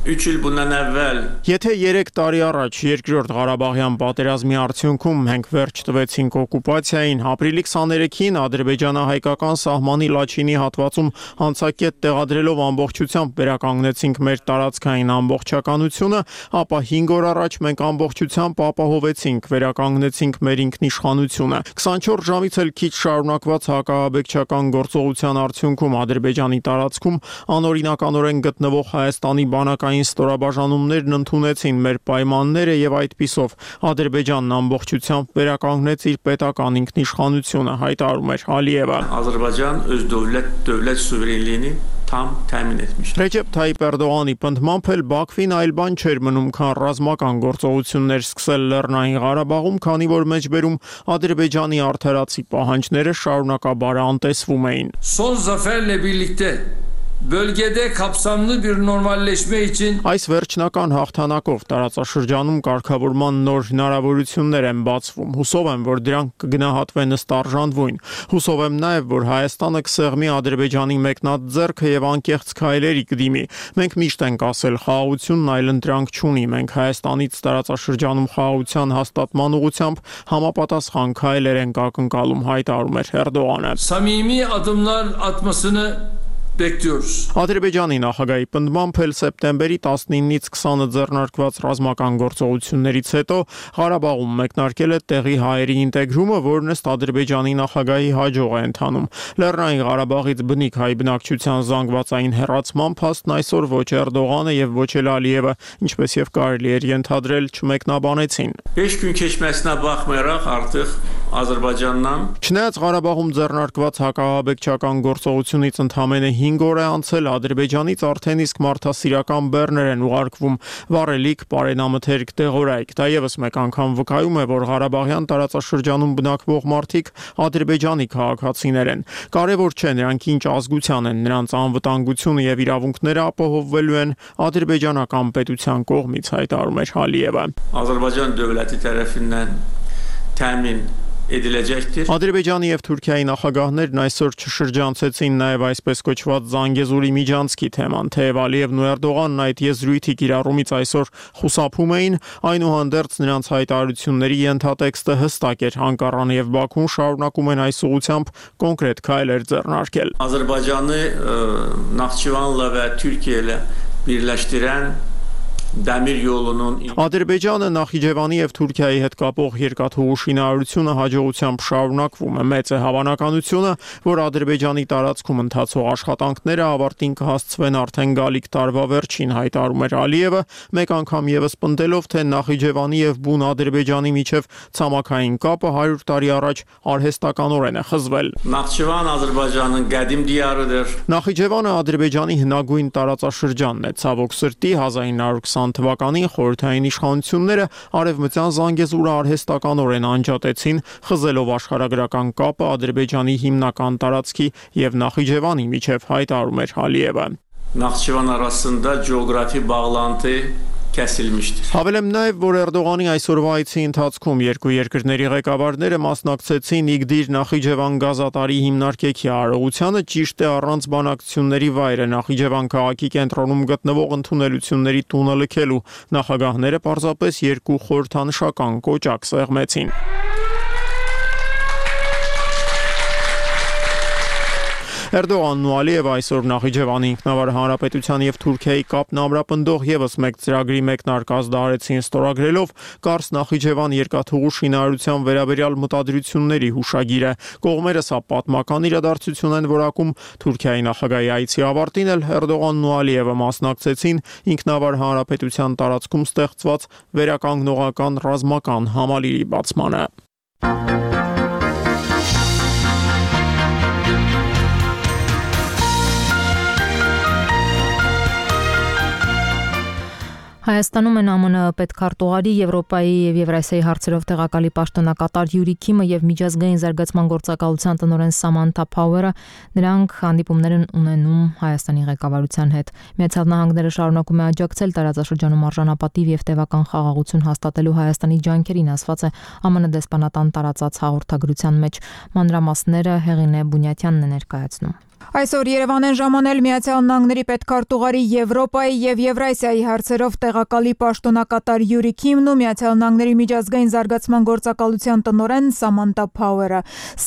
[SPEAKER 19] Եթե երեք տարի առաջ երկրորդ Ղարաբաղյան պատերազմի արդյունքում մենք վերջ տվեցինք օկուպացիային, ապրիլի քսաներեքին Ադրբեջանը հայկական սահմանի Լաչինի հատվածում անցակետ տեղադրելով ամբողջությամբ վերականգնեցինք մեր տարածքային ամբողջականությունը, ապա հինգ օր առաջ մենք ամբողջությամբ ապահովեցինք, վերականգնեցինք մեր ինքնիշխանությունը։ քսանչորս ժամից էլ քիչ շարունակված հակահաբեկչական գործողության արդյունքում Ադրբեջանի տարածքում անօրինականորեն գտնվող Հայաստանի բանակային ստորաբաժանումներն ընդունեցին մեր պայմանները եւ այդպիսով Ադրբեջանն ամբողջությամբ վերականգնեց իր պետական ինքնիշխանությունը, հայտարարում էր Ալիևը։
[SPEAKER 20] Ադրբեջան öz dövlət dövlət suverenliyini tam təmin etmiş։
[SPEAKER 19] Ռեջեփ Թայիփ Էրդողանի պնդմամբ էլ Բաքվին այլ բան չէր մնում, քան ռազմական գործողություններ սկսել Լեռնային Ղարաբաղում, քանի որ մեջբերում Ադրբեջանի արդարացի պահանջները շարունակաբար անտեսվում էին։
[SPEAKER 20] Son zaferle birlikte bölgede kapsamlı bir normalleşme için
[SPEAKER 19] Այս վերջնական հաղթանակով տարածաշրջանում կարգավորման նոր հնարավորություններ են բացվում։ Հուսով եմ, որ դրանք կգնահատվեն ըստ արժանվույն։ Հուսով եմ նաև, որ Հայաստանը կսեղմի Ադրբեջանի մեկնած ձեռքը եւ անկեղծ քայլերի կդիմի։ Մենք միշտ ենք ասել, խաղաղությունն այլընտրանք չունի։ Մենք Հայաստանից տարածաշրջանում խաղաղության հաստատման ուղղությամբ համապատասխան քայլեր ենք ակնկալում, հայտարարում էր Էրդողանը։
[SPEAKER 20] Samimi adımlar atmasını bekliyoruz.
[SPEAKER 19] Ադրբեջանի նախագահի պնդմամբ էլ սեպտեմբերի տասնինից քսանը ձեռնարկված ռազմական գործողություններից հետո Ղարաբաղում մեկնարկել է տեղի հայերի ինտեգրումը, որն ըստ Ադրբեջանի նախագահի հաջող է ընթանում։ Լեռնային Ղարաբաղից բնիկ հայ բնակչության զանգվածային հեռացման փաստն այսօր ոչ Էրդողանը եւ ոչ էլ Ալիևը, ինչպես եւ կարելի էր ենթադրել, չմեկնաբանեցին։
[SPEAKER 20] beş gün keçməsinə baxmayaraq artıq Azərbaycandan
[SPEAKER 19] Չնայած Ղարաբաղում ձեռնարկված հակահաբեկչական գործողությունից ընդամենը հինգ օր է անցել, Ադրբեջանից արդեն իսկ մարդասիրական բեռներ են ուղարկվում վառելիք, պարենամթերք, դեղորայք։ Դա եւս մեկ անգամ վկայում է, որ Ղարաբաղյան տարածաշրջանում բնակվող մարդիկ Ադրբեջանի քաղաքացիներ են։ Կարևոր չէ նրանք ինչ ազգության են, նրանց անվտանգությունը եւ իրավունքները ապահովվելու են ադրբեջանական պետության կողմից, հայտարարում էր Ալիևը։
[SPEAKER 20] Azərbaycan dövləti tərəfindən təmin ediləcəkdir.
[SPEAKER 19] Ադրբեջանի եւ Թուրքիայի նախագահներն այսօր չշրջանցեցին նաեւ այսպես կոչված Զանգեզուրի միջանցքի թեման, թեև Ալիևն ու Էրդողանն այդ եզրույթի կիրառումից այսօր խուսափում էին, այնուհանդերձ նրանց հայտարարությունների ենթատեքստը հստակ էր, Անկարան եւ Բաքուն շարունակում են այս ուղղությամբ կոնկրետ քայլեր ձեռնարկել։
[SPEAKER 20] Azərbaycanı Naxçıvanla və Türkiyə ilə birləşdirən Dəmir yolunun
[SPEAKER 19] Ադրբեջանը Նախիջևանի եւ Թուրքիայի հետ կապող երկաթուղու շինարարությունը հաջողությամբ շարունակվում է։ Մեծ է հավանականությունը, որ Ադրբեջանի տարածքում ընթացող աշխատանքները ավարտին կհասցվեն արդեն գալիք տարվա վերջին, հայտարարում էր Ալիևը, մեկ անգամ եւս պնդելով, թե Նախիջևանի եւ բուն Ադրբեջանի միջև ցամաքային կապը հարյուր տարի առաջ արհեստականորեն է խզվել։
[SPEAKER 20] Naxçıvan Azərbaycanın qədim diyarıdır։
[SPEAKER 19] Նախիջևանը Ադրբեջանի հնագույն տարածաշրջանն է, ցավոք սրտի հազար ինը հարյուր քսան թվականին խորհրդային իշխանությունները արևմտյան Զանգեզուրը արհեստականորեն անջատեցին, խզելով աշխարհագրական կապը Ադրբեջանի հիմնական տարածքի եւ Նախիջևանի միջև, հայտարարում էր Ալիևը։
[SPEAKER 20] Naxçıvan arasında coğrafi bağlantı kəsilmişdir։
[SPEAKER 19] Հավելեմ նաև, որ Էրդողանի այսօրվա այցի ընթացքում երկու երկրների ղեկավարները մասնակցեցին Իգդիր Նախիջևան գազատարի հիմնարկեքի արարողությանը, ճիշտ է առանց բանակցությունների վայրը Նախիջևան քաղաքի կենտրոնում գտնվող ընդունելությունների տունը լքելու։ Նախագահները պարզապես երկու խորհրդանշական կոճակ սեղմեցին։ Էրդողանն ու Ալիևը այսօր Նախիջևանի ինքնավար հանրապետության եւ Թուրքիայի կապն ամրապնդող եւս մեկ ծրագրի մեկնարկ ազդարեցին ստորագրելով Կարս Նախիջևան երկաթուղու շինարարության վերաբերյալ մտադրությունների հուշագիրը։ Կողմերը սա պատմական իրադարձություն են որակում։ Թուրքիայի նախագահի այցի ավարտին էլ Էրդողանն ու Ալիևը մասնակցեցին ինքնավար հանրապետության տարածքում ստեղծված վերականգնողական ռազմական համալիրի բացմանը։
[SPEAKER 1] Հայաստանում են ԱՄՆ պետքարտուղարի, Եվրոպայի եւ Եվրասիայի հարցերով տեղակալի պաշտոնակատար Յուրի Քիմը եւ միջազգային զարգացման գործակալության տնօրեն Սամանթա Փաուերը, նրանք հանդիպումներ են ունենում Հայաստանի ղեկավարության հետ։ Միացյալ Նահանգները շարունակում է աջակցել տարածաշրջանում արժանապատիվ եւ տևական խաղաղություն հաստատելու Հայաստանի ջանքերին, ասված է ԱՄՆ դեսպանատան տարածած հաղորդագրության մեջ։ Մանրամասները Հեղինե Բունյատյանն է ներկայացնում։
[SPEAKER 21] Այսօր Երևան են ժամանել Միացյալ Նահանգների պետքարտուղարի Եվրոպայի եւ Եվրասիայի հարցերով տեղակալի պաշտոնակատար Յուրի Քիմն ու Միացյալ Նահանգների միջազգային զարգացման գործակալության տնօրեն Սամանթա Փաուերը։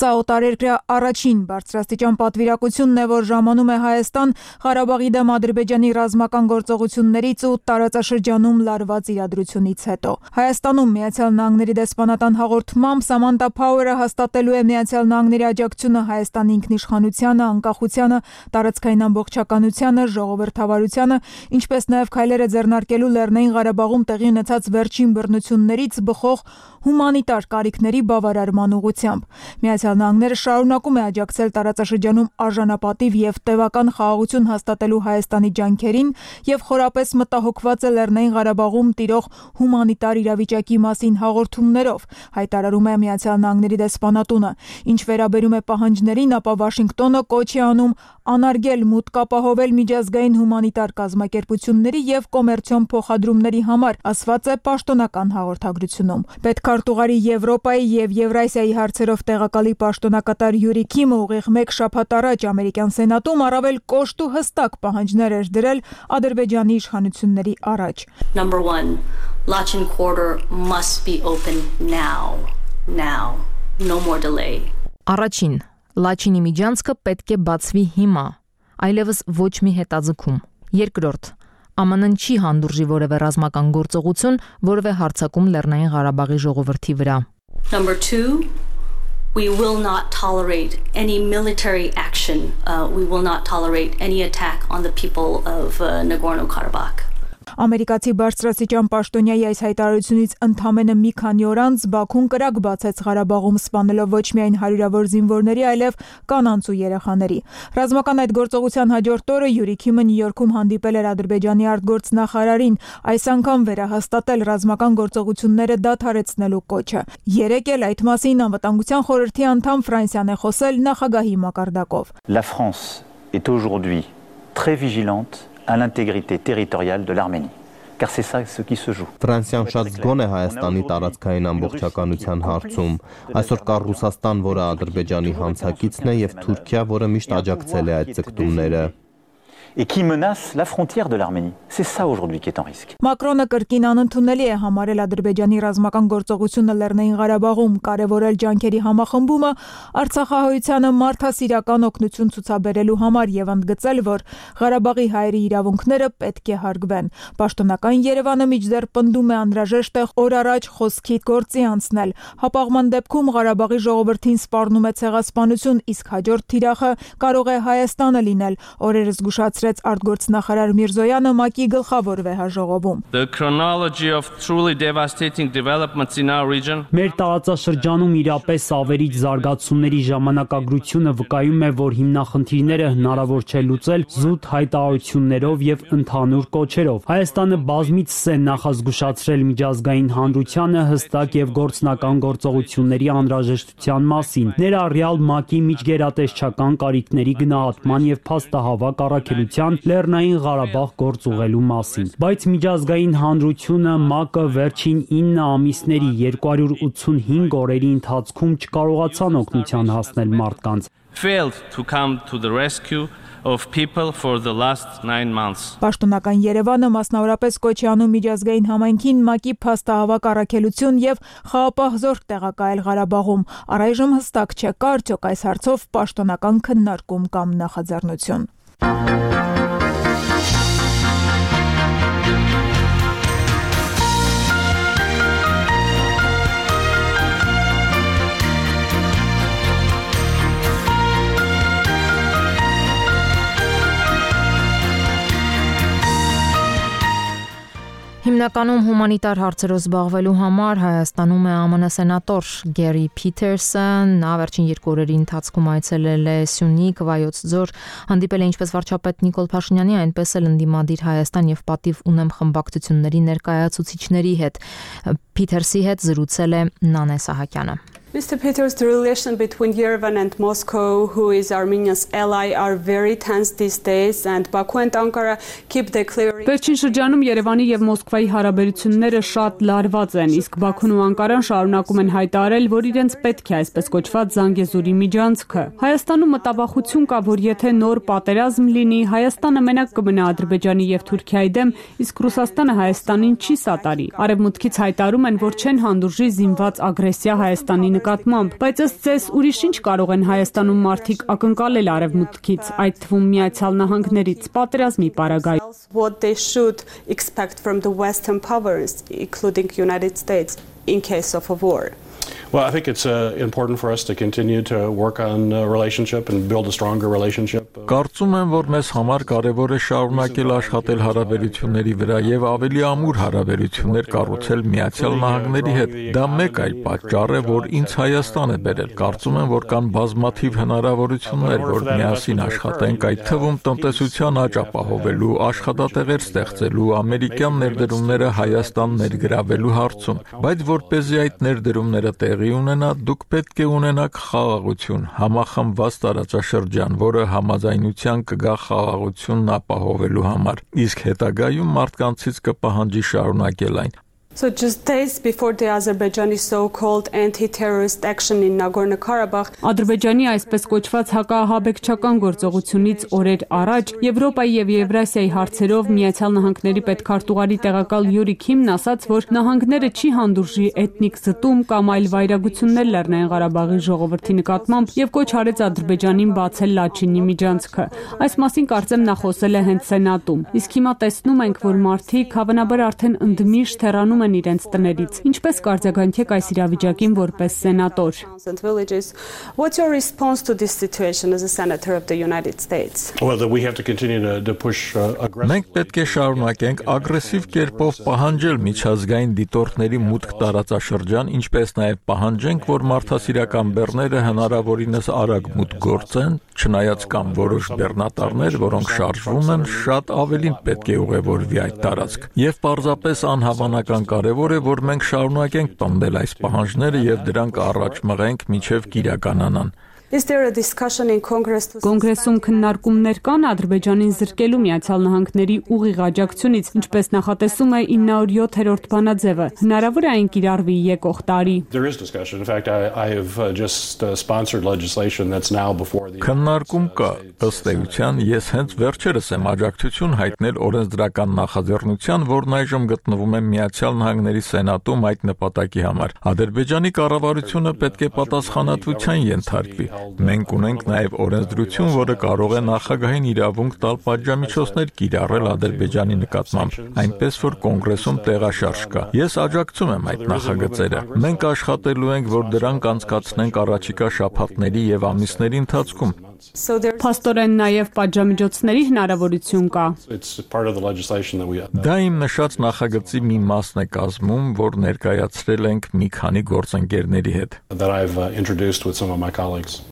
[SPEAKER 21] Սա օտարերկրյա առաջին բարձրաստիճան պատվիրակությունն է, որ ժամանում է Հայաստան Ղարաբաղի դեմ Ադրբեջանի ռազմական գործողություններից ու տարածաշրջանում լարված իրադրությունից հետո։ Հայաստանում Միացյալ Նահանգների դեսպանատան հաղորդմամբ Սամանթա Փաուերը հաստատելու է Միացյալ Նահանգների աջակցությունը Հայաստանի ինքնիշխանությանը, անկախությանը, տարածքային ամբողջականությանը, ժողովրդավարությանը, ինչպես նաև քայլերը ձեռնարկելու Լեռնային Ղարաբաղում տեղի ունեցած վերջին բռնություններից բխող հումանիտար կարիքների բավարարման ուղղությամբ։ Միացյալ Նահանգները շարունակում է աջակցել տարածաշրջանում արժանապատիվ եւ տևական խաղաղություն հաստատելու Հայաստանի ջանքերին եւ խորապես մտահոգված է Լեռնային Ղարաբաղում տիրող հումանիտար իրավիճակի մասին հաղորդումներով, հայտարարում է Միացյալ Նահանգների դեսպանատունը։ Ինչ վերաբերում է պահանջներին, ապա Վաշինգտոնը կոչ է անում անարգել մուտք ապահովել միջազգային հումանիտար կազմակերպությունների եւ կոմերցիոն փոխադրումների համար, ասված է պաշտոնական հաղորդագրությունում։ Պետքարտուղարի Եվրոպայի եւ Եվրասիայի հարցերով տեղակալի պաշտոնակատար Յուրի Քիմը ուղիղ մեկ շաբաթ առաջ ամերիկյան սենատում առավել կոշտ ու հստակ պահանջներ էր դրել Ադրբեջանի իշխանությունների առաջ։
[SPEAKER 22] Number one, Lachin corridor must be open now. Now. No more delay.
[SPEAKER 1] Առաջին Լաչինի միջանցքը պետք է բացվի հիմա։ այլևս ոչ մի հետաձգում։ Երկրորդ, ԱՄՆ N չի հանդուրժի որևէ ռազմական գործողություն, որևէ հարձակում Լեռնային Ղարաբաղի ժողովրդի վրա։
[SPEAKER 22] Number two, we will not tolerate any military action. Uh, we will not tolerate any attack on the people of uh, Nagorno-Karabakh.
[SPEAKER 21] Ամերիկացի բարձրաստիճան պաշտոնյայի այս հայտարարությունից ընդամենը մի քանի օր անց Բաքուն կրակ բացեց Ղարաբաղում սպանելով ոչ միայն հարյուրավոր զինվորների, այլև կանանց ու երեխաների։ Ռազմական այդ գործողության հաջորդ օրը Յուրի Քիմը Նյու Յորքում հանդիպել էր Ադրբեջանի արտգործնախարարին, այս անգամ վերահաստատել ռազմական գործողությունները դադարեցնելու կոչը։ Երեկ էլ այդ մասին Անվտանգության խորհրդի անդամ Ֆրանսիան է խոսել նախագահի մակարդակով։
[SPEAKER 5] La France est aujourd'hui très vigilante à l'intégrité territoriale de l'Arménie. Car c'est ça ce qui se joue.
[SPEAKER 6] Ֆրանսիան շատ զգոն է Հայաստանի տարածքային ամբողջականության հարցում։ Այսօր կա Ռուսաստան, որը Ադրբեջանի հանցակիցն է, եւ Թուրքիա, որը միշտ աջակցել է այդ ձգտումները։
[SPEAKER 5] Et qui menace la frontière de l'Arménie. C'est ça aujourd'hui qui est en risque.
[SPEAKER 21] Մակրոնը կրկին անընդունելի է համարել Ադրբեջանի ռազմական գործողությունը Լեռնային Ղարաբաղում, կարևորել ջանքերի համախմբումը Արցախահայությանը մարդասիրական օգնություն ցուցաբերելու համար եւ ընդգծել, որ Ղարաբաղի հայերի իրավունքները պետք է հարգվեն։ Պաշտոնական Երևանը միջդեռ պնդում է անհրաժեշտ է օր առաջ խոսքի գործի անցնել։ Հապաղման դեպքում Ղարաբաղի ժողովրդին սպառնում է ցեղասպանություն, իսկ հաջորդ թիրախը կարող է Հայաստանը լինել։ Օրերս զգուշացրեց արտգործնախարար Միրզոյանը ՄԱԿ-ի գլխավոր վեհաժողովում։
[SPEAKER 23] The chronology of truly devastating developments in our region.
[SPEAKER 13] Մեր տարածաշրջանում իրապես ավերիչ զարգացումների ժամանակագրությունը վկայում է, որ հիմնախնդիրները հնարավոր չէ լուծել զուտ հայտարարություններով եւ ընդհանուր կոչերով։ Հայաստանը բազմիցս է նախազգուշացրել միջազգային հանրությանը հստակ եւ գործնական գործողությունների անհրաժեշտության մասին, ներառյալ ՄԱԿ-ի միջգերատեսչական կարիքների գնահատման եւ փաստահավաք առաքելության Լեռնային Ղարաբաղ գործ ուղղելու մասին։ Բայց միջազգային հանրությունը ՄԱԿ-ը վերջին ինը ամիսների երկու հարյուր ութսունհինգ օրերի ընթացքում չկարողացան օգնության հասնել մարդկանց։
[SPEAKER 23] Failed to come to the rescue of people for the last nine months.
[SPEAKER 21] Պաշտոնական Երևանը մասնավորապես կոչ է անում միջազգային համայնքին ՄԱԿ-ի փաստահավաք առաքելություն եւ խաղապահ զորք տեղակայել Ղարաբաղում։ Առայժմ հստակ չէ կա արդյոք այս հարցով պաշտոնական քննարկում կամ նախաձեռնություն։ Հիմնականում հումանիտար հարցերով զբաղվելու համար Հայաստանում է ԱՄՆ սենատոր Գերի Փիթերսը, նա վերջին երկու օրերի ընթացքում այցելել է Սյունիք, Վայոց ձոր, հանդիպել է ինչպես վարչապետ Նիկոլ Փաշինյանի, այնպես էլ ընդդիմադիր Հայաստան եւ Պատիվ ունեմ խմբակցությունների ներկայացուցիչների հետ։ Փիթերսի հետ զրուցել է Նանե Սահակյանը։
[SPEAKER 24] Mister Peters, the relation between Yerevan and Moscow, who is Armenia's ally, are very tense these days, and Baku and Ankara keep declaring.
[SPEAKER 25] Վերջին շրջանում Երևանի եւ Մոսկվայի հարաբերությունները շատ լարված են, իսկ Բաքուն ու Անկարան շարունակում են հայտարարել, որ իրենց պետք է այսպես կոչված Զանգեզուրի միջանցքը։ Հայաստանում մտավախություն կա, որ եթե նոր պատերազմ լինի, Հայաստանը մենակ կմնա Ադրբեջանի եւ Թուրքիայի դեմ, իսկ Ռուսաստանը Հայաստանին չի սատարի։ Արևմուտքից հայտարարում են, որ չեն հանդուրժի զինված ագրեսիա Հայաստանի նկատմամբ, բայց ըստ ձեզ ուրիշ ինչ կարող են Հայաստանում մարդիկ ակնկալել Արևմուտքից, այդ թվում Միացյալ Նահանգներից, պատերազմի պարագայում։
[SPEAKER 24] What they should expect from the Western powers, including United States, in case of a war.
[SPEAKER 26] Well, I think it's uh, important for us to continue to work on a relationship and build a stronger relationship.
[SPEAKER 2] Կարծում եմ, որ մեզ համար կարևոր է շարունակել աշխատել հարաբերությունների վրա եւ ավելի ամուր հարաբերություններ կառուցել Միացյալ Նահանգների հետ։ Դա մեկ այլ պատճառ է, որ ինձ Հայաստան է բերել։ Կարծում եմ, որ կան բազմաթիվ հնարավորություններ, որ միասին աշխատենք, այդ թվում տնտեսության աճ ապահովելու, աշխատատեղեր ստեղծելու, ամերիկյան ներդրումները Հայաստան ներգրավելու հարցում։ Բայց որպեսզի այդ ներդրումները տեղի ունենա, դուք պետք է ունենաք խաղաղություն, համախմբված տարածաշրջան, որը համաձայնության կգա խաղաղությունն ապահովելու համար, իսկ հետագայում մարդկանցից կպահանջի շարունակել այն։
[SPEAKER 24] So just days before the Azerbaijani so-called anti-terrorist action in Nagorno-Karabakh,
[SPEAKER 25] Ադրբեջանի այսպես կոչված հակահաբեկչական գործողությունից օրեր առաջ Եվրոպայի եւ Եվրասիայի հարցերով Միացյալ Նահանգների պետքարտուղարի տեղակալ Յուրի Քիմն ասաց, որ նահանգները չի հանդուրժի էթնիկ զտում կամ այլ վայրագություններ Լեռնային Ղարաբաղի ժողովրդի նկատմամբ եւ կոչ արեց Ադրբեջանին բացել Լաչինի միջանցքը։ Այս մասին կարծեմ նա խոսել է հենց Սենատում։ Իսկ հիմա տեսնում ենք, որ մարդիկ հավանաբար արդեն ընդմիշտ հեռանում են իրենց տներից։ Ինչպես կարձագանքեք այս իրավիճակին որպես սենատոր։
[SPEAKER 24] What's your response to this situation as a senator of the United States?
[SPEAKER 26] Well, that we have to continue to, to push uh, aggressive.
[SPEAKER 2] Մենք պետք է շարունակենք ագրեսիվ կերպով պահանջել միջազգային դիտորդների մուտք տարածաշրջան, ինչպես նաև պահանջենք, որ մարդասիրական բեռները հնարավորինս արագ մուտք գործեն, չնայած կան որոշ բեռնատարներ, որոնք շարժվում են, շատ ավելին պետք է ուղևորվի այդ տարածք։ Եվ պարզապես անհավանական կարևոր է, որ մենք շարունակենք պնդել այս պահանջները եւ դրանք առաջ մղենք մինչեւ կիրականանան։
[SPEAKER 24] Is there a discussion in Congress to
[SPEAKER 25] Կոնգրեսում քննարկումներ կան Ադրբեջանին զրկելու Միացյալ Նահանգների ուղիղ աջակցությունից, ինչպես նախատեսում է ինը հարյուր յոթերորդ բանաձևը։ Հնարավոր է այն կիրառվի եկող տարի։
[SPEAKER 26] There is discussion. In fact, I, I have uh, just uh, sponsored legislation that's now before the
[SPEAKER 2] Քննարկում կա, ըստ էության, ես հենց վերջերս եմ աջակցություն հայտնել օրենսդրական նախաձեռնության, որն այժմ գտնվում է Միացյալ Նահանգների Սենատում այդ նպատակի համար։ Ադրբեջանի կառավարությունը պետք է պատասխանատվության ենթարկվի։ Մենք ունենք նաև օրենսդրություն, որը կարող է նախագահին իրավունք տալ պատժամիջոցներ կիրառել Ադրբեջանի նկատմամբ, այնպես որ կոնգրեսում տեղաշարժ կա։ Ես աջակցում եմ այդ նախագծերը։ Մենք աշխատելու ենք, որ դրանք անցկացնենք առաջիկա շաբաթների եւ ամիսների ընթացքում։
[SPEAKER 25] Փաստորեն նաև պատժամիջոցների հնարավորություն կա։
[SPEAKER 2] Դա իմ նշած նախագծի մի մասն է կազմում, որ ներկայացրել ենք մի քանի գործընկերների հետ։
[SPEAKER 26] that I've uh, introduced with some of my colleagues.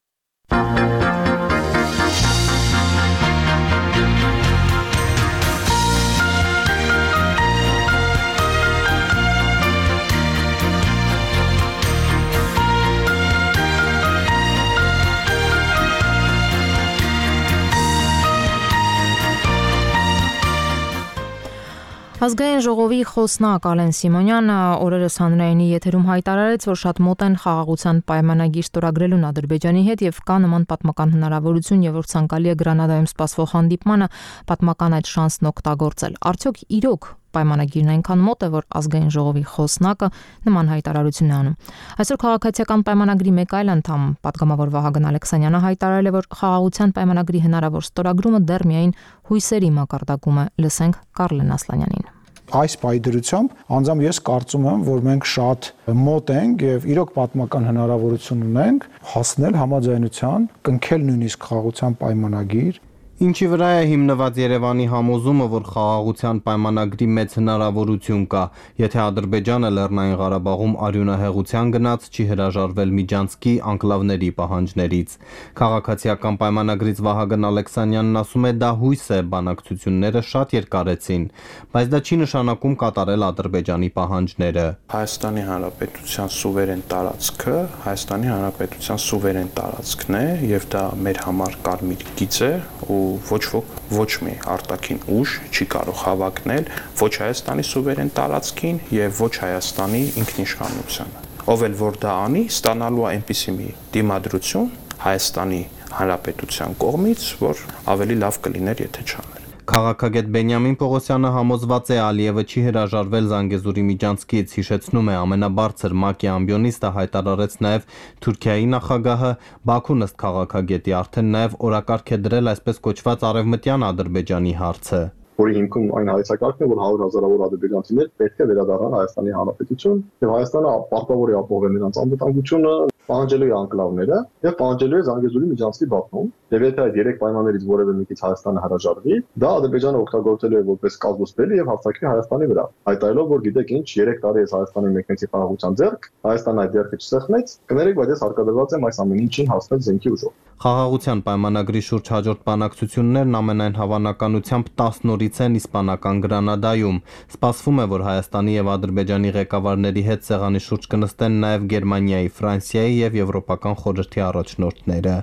[SPEAKER 1] Ազգային ժողովի խոսնակ Ալեն Սիմոնյանը օրերս հանրայինի եթերում հայտարարեց, որ շատ մոտ են խաղաղության պայմանագիր ստորագրելուն Ադրբեջանի հետ եւ կա նման պատմական հնարավորություն եւ որ ցանկալի է Գրանադայում սպասվող հանդիպմանը պատմական այդ շանսն օգտագործել։ Արդյոք իրոք պայմանագիրն այնքան մոտ է, որ ազգային ժողովի խոսնակը նման հայտարարություն է անում։ Այսօր քաղաքացիական պայմանագրի մեկ այլ անդամ, պատգամավոր Վահագն Ալեքսանյանը հայտարարել է, որ խաղաղության պայմանագրի հնարավոր ստորագրումը դեռ միայն հույսերի մակարդակում է։ Լսենք Կարլեն Ասլանյանին։
[SPEAKER 3] Այս պայդրությամբ անձամբ ես կարծում եմ, որ մենք շատ մոտ ենք եւ իրոք պատմական հնարավորություն ունենք հասնել համաձայնության, կնքել նույնիսկ խաղաղության պայմանագիր։
[SPEAKER 6] Ինչի վրա է հիմնված Երևանի համոզումը, որ խաղաղության պայմանագրի մեծ հնարավորություն կա, եթե Ադրբեջանը Լեռնային Ղարաբաղում արյունահեղության գնաց, չի հրաժարվել Միջանցքի անկլավների պահանջներից։ Քաղաքացիական պայմանագրից Վահագն Ալեքսանյանն ասում է, դա հույս է, բանակցությունները շատ երկարեցին, բայց դա չի նշանակում կատարել Ադրբեջանի պահանջները։
[SPEAKER 4] Հայաստանի Հանրապետության սուվերեն տարածքը Հայաստանի Հանրապետության սուվերեն տարածքն է եւ դա մեր համար կարմիր գիծ է ու ոչ ոք ոչ մի արտաքին ուժ չի կարող հավակնել ոչ Հայաստանի սուվերեն տարածքին եւ ոչ Հայաստանի ինքնիշխանությանը։ Ով էլ որ դա անի, ստանալու է այնպիսի մի դիմադրություն Հայաստանի Հանրապետության կողմից, որ ավելի լավ կլիներ, եթե չաներ։
[SPEAKER 6] Քաղաքագետ Բենյամին Պողոսյանը համոզված է Ալիևը չի հրաժարվել Զանգեզուրի միջանցքից, հիշեցնում է ամենաբարձր ՄԱԿ-ի ամբիոնիստը հայտարարեց նաև Թուրքիայի նախագահը, Բաքուն ըստ քաղաքագետի արդեն նաև օրակարգ է դրել այսպես կոչված արևմտյան Ադրբեջանի հարցը։
[SPEAKER 7] Որի հիմքում այն հայեցակարգն է, որ հարյուր հազարավոր ադրբեջանցիներ պետք է վերադառնան Հայաստանի Հանրապետություն, եւ Հայաստանը պարտավոր է ապահովել նրանց անվտանգությունը, պահանջելու է անկլավները եւ պահանջելու է Զանգեզուրի միջանցքի բախում։ Եվ եթե այդ երեք պայմաններից որևէ մեկից Հայաստանը հրաժարվի, դա Ադրբեջանը օգտագործելու է որպես կազոսպելի եւ հարձակվի Հայաստանի վրա։ Հայտարարելով, որ գիտեք ինչ, երեք տարի է Հայաստանի մեկնեցի խաղաղության ձեռք, Հայաստանը այդ ձեռքը չսեղմեց, կներեք, բայց ես հարկադրված եմ այս ամեն ինչին հասնել զենքի ուժով։
[SPEAKER 6] Խաղաղության պայմանագրի շուրջ հաջորդ բանակցություններն ամենայն հավանականությամբ տասն օրից են իսպանական Գրանադայում։ Սպասվում է, որ Հայաստանի եւ Ադրբեջանի ղեկավարների հետ սեղանի շուրջ կնստեն նաեւ Գերմանիայի, Ֆրանսիայի եւ Եվրոպական խորհրդի առաջնորդները։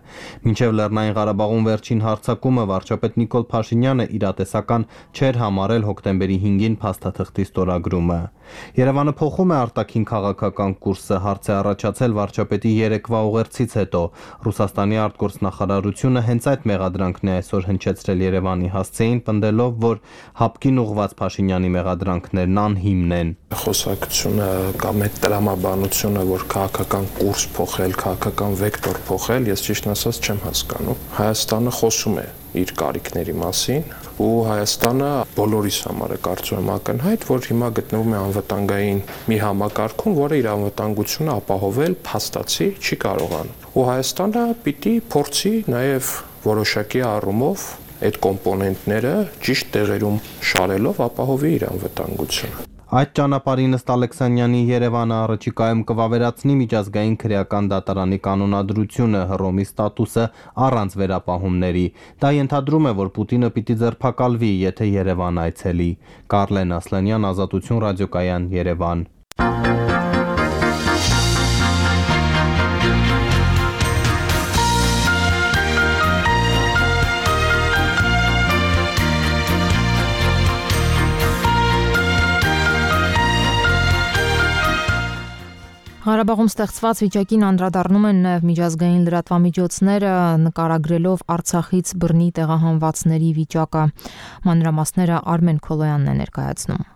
[SPEAKER 6] Մինչեւ Լեռնային Ղարաբաղում վերջին հարձակումը վարչապետ Նիկոլ Փաշինյանը իրատեսական չէր համարել հոկտեմբերի հինգին փաստաթղթի ստորագրումը։ Երևանը փոխում է արտաքին քաղաքական կուրսը, հարց է առաջացել վարչապետի երեկվա ուղերձից հետո։ Ռուսաստանի արտգործնախարարությունը հենց այդ մեղադրանքն է այսօր հնչեցրել Երևանի հասցեին, պնդելով, որ հապկին ուղղված Փաշինյանի մեղադրանքներն անհիմն են։
[SPEAKER 4] Խոսակցությունը կամ այդ տրամաբանությունը, որ քաղաքական կուրս փոխել, քաղաքական վեկտոր փոխել, ես ճիշտ ասած չեմ հասկանում։ Հայաստանը խոսում է իր կարիքների մասին ու Հայաստանը բոլորիս համար է կարծում եմ ակնհայտ, որ հիմա գտնվում է անվտանգային մի համակարգում, որը իր անվտանգությունը ապահովել փաստացի չի կարողանում։ Ու Հայաստանը պիտի փորձի նաև որոշակի առումով այդ կոմպոնենտները ճիշտ տեղերում շարելով ապահովի իր անվտանգությունը։
[SPEAKER 6] Այդ ճանապարհին ըստ Ալեքսանյանի Երևանը առաջիկայում կվավերացնի միջազգային քրեական դատարանի կանոնադրությունը, Հռոմի ստատուսը առանց վերապահումների։ Դա ենթադրում է, որ Պուտինը պիտի ձերբակալվի, եթե Երևան այցելի։ Կարլեն Ասլանյան, Ազատություն ռադիոկայան, Երևան։
[SPEAKER 1] Ղարաբաղում ստեղծված վիճակին անդրադառնում են նաև միջազգային լրատվամիջոցները, նկարագրելով Արցախից բռնի տեղահանվածների վիճակը։ Մանրամասները Արմեն Քոլոյանն է ներկայացնում։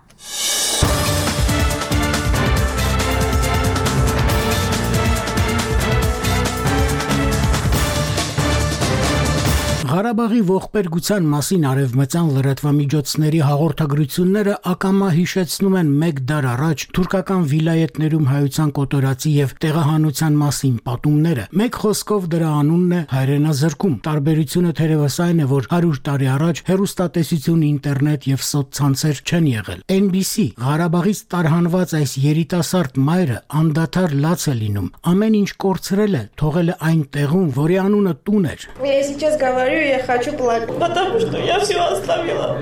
[SPEAKER 8] Ղարաբաղի ողբերգության մասին արևմտյան լրատվամիջոցների հաղորդագրությունները ակամա հիշեցնում են մեկ դար առաջ թուրքական վիլայետներում հայության կոտորածի եւ տեղահանության մասին պատումները։ Մեկ խոսքով դրա անունն է հայրենազրկում։ Տարբերությունը թերևս այն է, որ հարյուր տարի առաջ հեռուստատեսություն, ինտերնետ եւ սոցցանցեր չեն եղել։ N B C Ղարաբաղից տարհանված այս երիտասարդ մայրը անդադար լաց է լինում։ Ամեն ինչ կորցրել է, թողել է այն տեղում, որի անունը տուն էր։
[SPEAKER 9] Я хочу плакать, потому что я все оставила.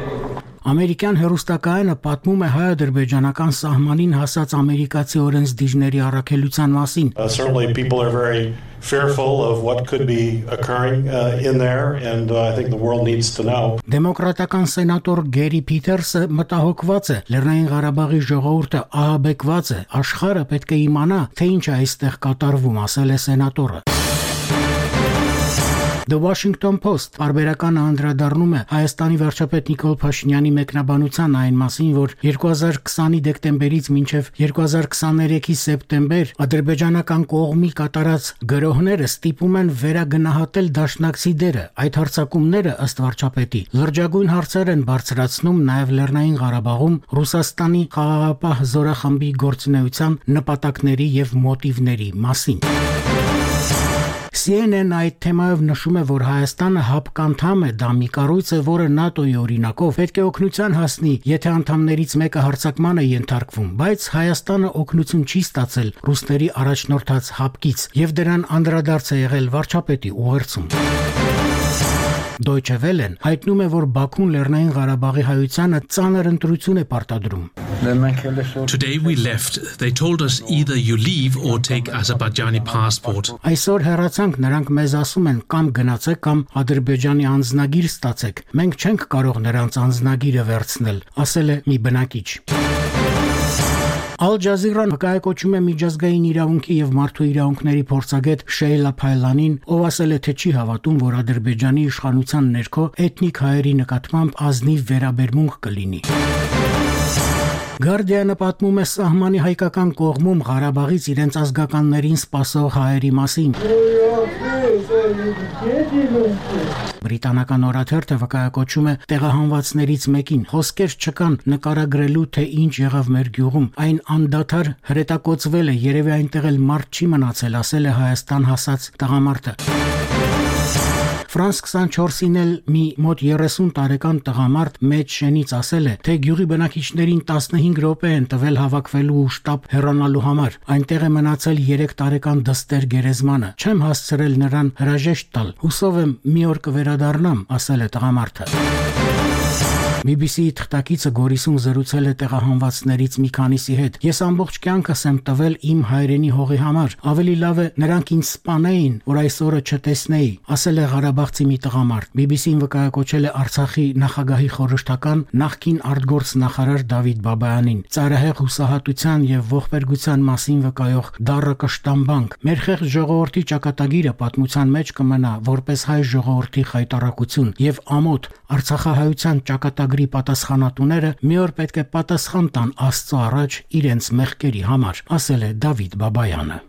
[SPEAKER 8] Ամերիկյան հեռուստակայանը պատմում է հայ-ադրբեջանական սահմանին հասած ամերիկացի օրենսդիրների առաքելության մասին։
[SPEAKER 26] Certainly people are very fearful of what could be occurring uh, in there and uh, I think the world needs to know.
[SPEAKER 8] Դեմոկրատական սենատոր Գերի Փիթերսը մտահոգված է, Լեռնային Ղարաբաղի ժողովուրդը ահաբեկված է, աշխարհը պետք է իմանա, թե ինչ է այստեղ կատարվում, ասել է սենատորը։ The Washington Post բարբերականը անդրադառնում է Հայաստանի վարչապետ Նիկոլ Փաշինյանի մեկնաբանության այն մասին, որ երկու հազար քսանի դեկտեմբերից մինչև երկու հազար քսաներեքի սեպտեմբեր ադրբեջանական կողմի կատարած գրոհները ստիպում են վերագնահատել դաշնակցի դերը։ Այդ հարձակումները, ըստ վարչապետի, լրջագույն հարցեր են բարձրացնում նաև Լեռնային Ղարաբաղում Ռուսաստանի խաղաղապահ զորախմբի գործունեության նպատակների եւ մոտիվների մասին։ C N N այդ թեմայով նշում է, որ Հայաստանը հապկանդամ է, դա մի կառույց է, որը ՆԱՏՕ-ի օրինակով պետք է օգնության հասնի, եթե անդամներից մեկը հարձակման է ենթարկվում, բայց Հայաստանը օգնություն չի ստացել ռուսների առաջնորդած հապկից, եւ դրան անդրադարձ է եղել վարչապետի ուղերձում։ Deutsche Welle-ն հայտնում է, որ Բաքուն Լեռնային Ղարաբաղի հայությանը ծանր ընտրություն է պարտադրում։
[SPEAKER 10] Today we left. They told us either you leave or take Azerbaijani passport.
[SPEAKER 8] Այսօր հեռացանք, նրանք մեզ ասում են կամ գնացեք կամ Ադրբեջանի անձնագիր ստացեք։ Մենք չենք կարող նրանց անձնագիրը վերցնել, ասել է մի բնակիչ։ Al Jazeera-ն հակայակոչում է միջազգային իրավունքի եւ մարդու իրավունքների փորձագետ Շեյլա Փայլանին, ով ասել է, թե չի հավատում, որ Ադրբեջանի իշխանության ներքո էթնիկ հայերի նկատմամբ ազնիվ վերաբերմունք կլինի։ Guardian-ը պատմում է սահմանի հայկական կողմում Ղարաբաղից իրենց ազգականներին սպասող հայերի մասին։ Բրիտանական օրաթերթը վկայակոչում է տեղահանվածներից մեկին։ Խոսքեր չկան նկարագրելու, թե ինչ եղավ մեր գյուղում։ Այն անդադար հրետակոծվել է, երևի այնտեղ էլ մարդ չի մնացել, ասել է Հայաստան հասած տղամարդը։ Ֆրանս քսանչորսին էլ մի մոտ երեսուն տարեկան տղամարդ մեծ շենից ասել է, թե գյուղի բնակիչներին տասնհինգ րոպե են տվել հավաքվելու ու շտապ հեռանալու համար։ Այնտեղ է մնացել երեք տարեկան Դստեր գերեզմանը։ Չեմ հասցրել նրան հրաժեշտ տալ։ Հուսով եմ մի օր կվերադառնամ, ասել է տղամարդը։ բի բի սի-ի թղթակիցը Գորիսում զրուցել է տեղահանվածներից մի քանիսի հետ։ Ես ամբողջ կյանքս եմ տվել իմ հայրենի հողի համար։ Ավելի լավ է նրանք ինձ սպանեին, որ այս օրը չտեսնեի, ասել է Ղարաբաղցի մի տղամարդ։ բի բի սին վկայակոչել է Արցախի նախագահի խորհրդական նախկին արտգործ նախարար Դավիթ Բաբայանին։ Ծայրահեղ հուսահատության եւ ողբերգության մասին վկայող դառը կշտամբանք։ Մեր խեղճ ժողովրդի ճակատագիրը պատմության մեջ կմնա որպես հայ ժողովրդի խայտարակություն եւ ամոթ Արցախահայության ճակատագրի պատասխանատուները մի օր պետք է պատասխան տան Աստծո առաջ իրենց մեղքերի համար, ասել է Դավիթ Բաբայանը։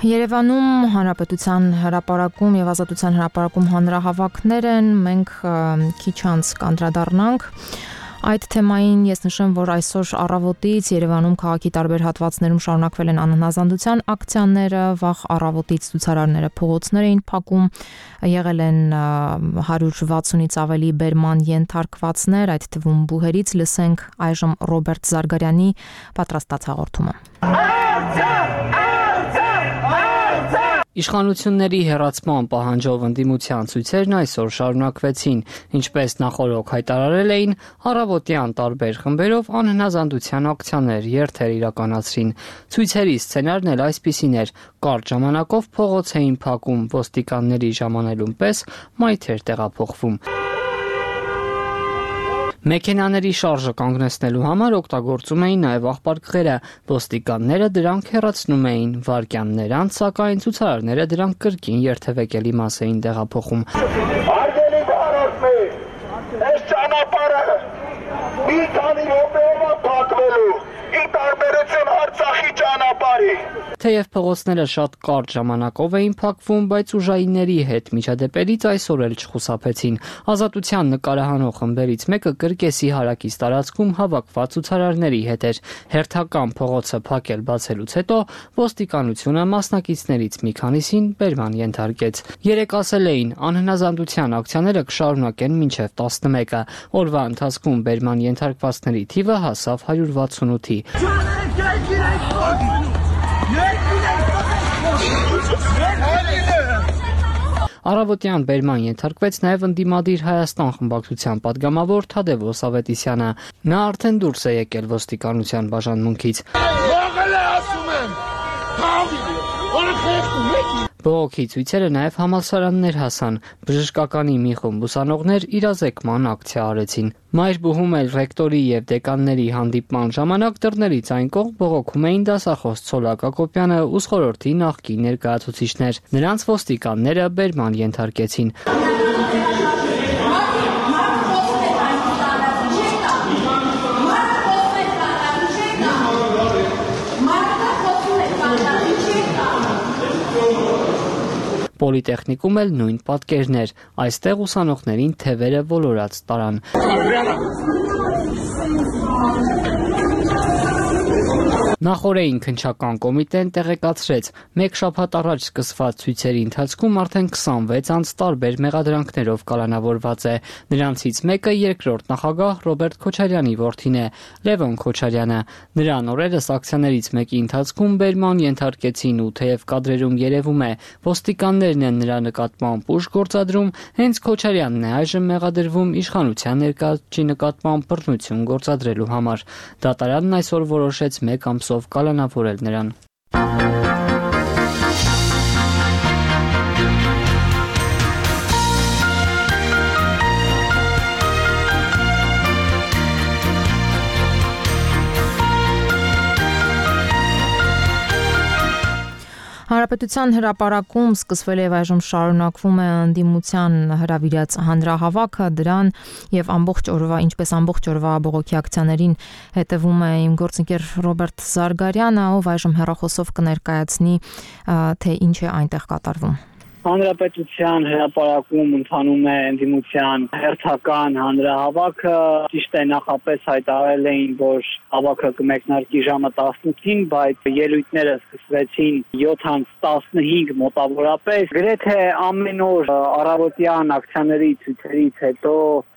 [SPEAKER 1] Երևանում Հանրապետության հրապարակում եւ Ազատության հրապարակում հանրահավաքներ են, մենք քիչ անց կանդրադառնանք այդ թեմային։ Ես նշեմ, որ այսօր առավոտից Երևանում քաղաքի տարբեր հատվածներում շարունակվել են անհնազանդության ակցիաները, վաղ առավոտից ցուցարարները փողոցներ էին փակում, եղել են հարյուր վաթսունից ավելի բերման ենթարկվածներ, այդ թվում բուհերից։ Լսենք այժմ Ռոբերտ Զարգարյանի պատրաստած հաղորդումը։
[SPEAKER 11] Իշխանությունների հեռացման պահանջով ընդդիմության ցույցերն այսօր շարունակվեցին, ինչպես նախօրոք հայտարարել էին, առավոտյան տարբեր խմբերով անհնազանդության ակցիաներ երթեր իրականացրին։ Ցույցերի սցենարն էլ այսպիսին էր՝ կարճ ժամանակով փողոց էին փակում, ոստիկանների ժամանելուն պես մայթեր տեղափոխվում։ Մեքենաների շարժը կանգնեցնելու համար օգտագործում էին նաև աղբարկղերը, ոստիկանները դրանք հեռացնում էին, վայրկյաններ անց, սակայն ցուցարարները դրանք կրկին երթևեկելի մաս էին տեղափոխում։ Արգելի բարոյ, այս ճանապարհը մի քանի րոպեով է փակվելու, ի տարբերություն Արցախի ճանապարհի։ Թեև փողոցները շատ կարճ ժամանակով էին փակվում, բայց ուժայինների հետ միջադեպերից այսօր էլ չխուսափեցին։ Ազատության նկարահանող խմբերից մեկը Կրկեսի հարակից տարածքում հավաքված ցուցարարների հետ էր։ Հերթական փողոցը փակել բացելուց հետո ոստիկանությունը մասնակիցներից մի քանիսին բերման ենթարկեց։ Երեք ասել էին, անհնազանդության ակցիաները կշարունակեն մինչև տասնմեկը։ Օրվա ընթացքում բերման ենթարկվածների թիվը հասավ հարյուր վաթսունութի։ Առավոտյան բերման ենթարկվեց նաև ընդդիմադիր Հայաստան խմբակցության падգամավոր Թադևոս Ավետիսյանը։ Նա արդեն դուրս է եկել ոստիկանության բաժանմունքից։ Բողոքի ցույցերը նաև համալսարաններ հասան։ Բժշկականի մի խումբ ուսանողներ իրազեկման ակցիա արեցին։ Մայրբուհում էլ ռեկտորի եւ դեկանների հանդիպման ժամանակ դռներից այն կողմ բողոքում էին դասախոս Ցոլակ Ակոպյանը ու խորհրդի նախկին ներկայացուցիչներ։ Նրանց ոստիկանները բերման ենթարկեցին։ Պոլիտեխնիկում էլ նույն պատկերներ, այստեղ ուսանողներին թևերը ոլորած տարան։ Նախօրեին քննչական կոմիտեն տեղեկացրեց, մեկ շաբաթ առաջ սկսված ցույցերի ընթացքում արդեն քսանվեց անց տարբեր մեղադրանքներով կալանավորված է։ Նրանցից մեկը երկրորդ նախագահ Ռոբերտ Քոչարյանի որդին է, Լևոն Քոչարյանը։ Նրան օրերս ակցիաներից մեկի ընթացքում բերման ենթարկեցին ու թեև կադրերում երևում է, ոստիկաններն են նրա նկատմամբ ուժ գործադրում, հենց Քոչարյանն է այժմ մեղադրվում իշխանության ներկայացուցիչի նկատմամբ բռնություն գործադրելու համար։ Դատարանն այսօր որոշեց մեկ ամսով կալանավորել նրան։
[SPEAKER 1] Հանրապետության հրապարակում սկսվել եւ այժմ շարունակվում է ընդդիմության հրավիրած հանրահավաքը, դրան եւ ամբողջ օրվա, ինչպես ամբողջ օրվա բողոքի ակցիաներին հետևում է իմ գործընկեր Ռոբերտ Զարգարյանը, ով այժմ հեռախոսով կներկայացնի, թե ինչ է այնտեղ կատարվում։
[SPEAKER 12] Հանրապետության հրապարակում ընթանում է ընդդիմության հերթական հանրահավաքը, ճիշտ է նախապես հայտարարել էին, որ հավաքը կմեկնարկի ժամը տասնութին, բայց ելույթները սկսվեցին յոթ տասնհինգ մոտավորապես։ Գրեթե ամեն օր առավոտյան ակցիաների ցույցերից հետո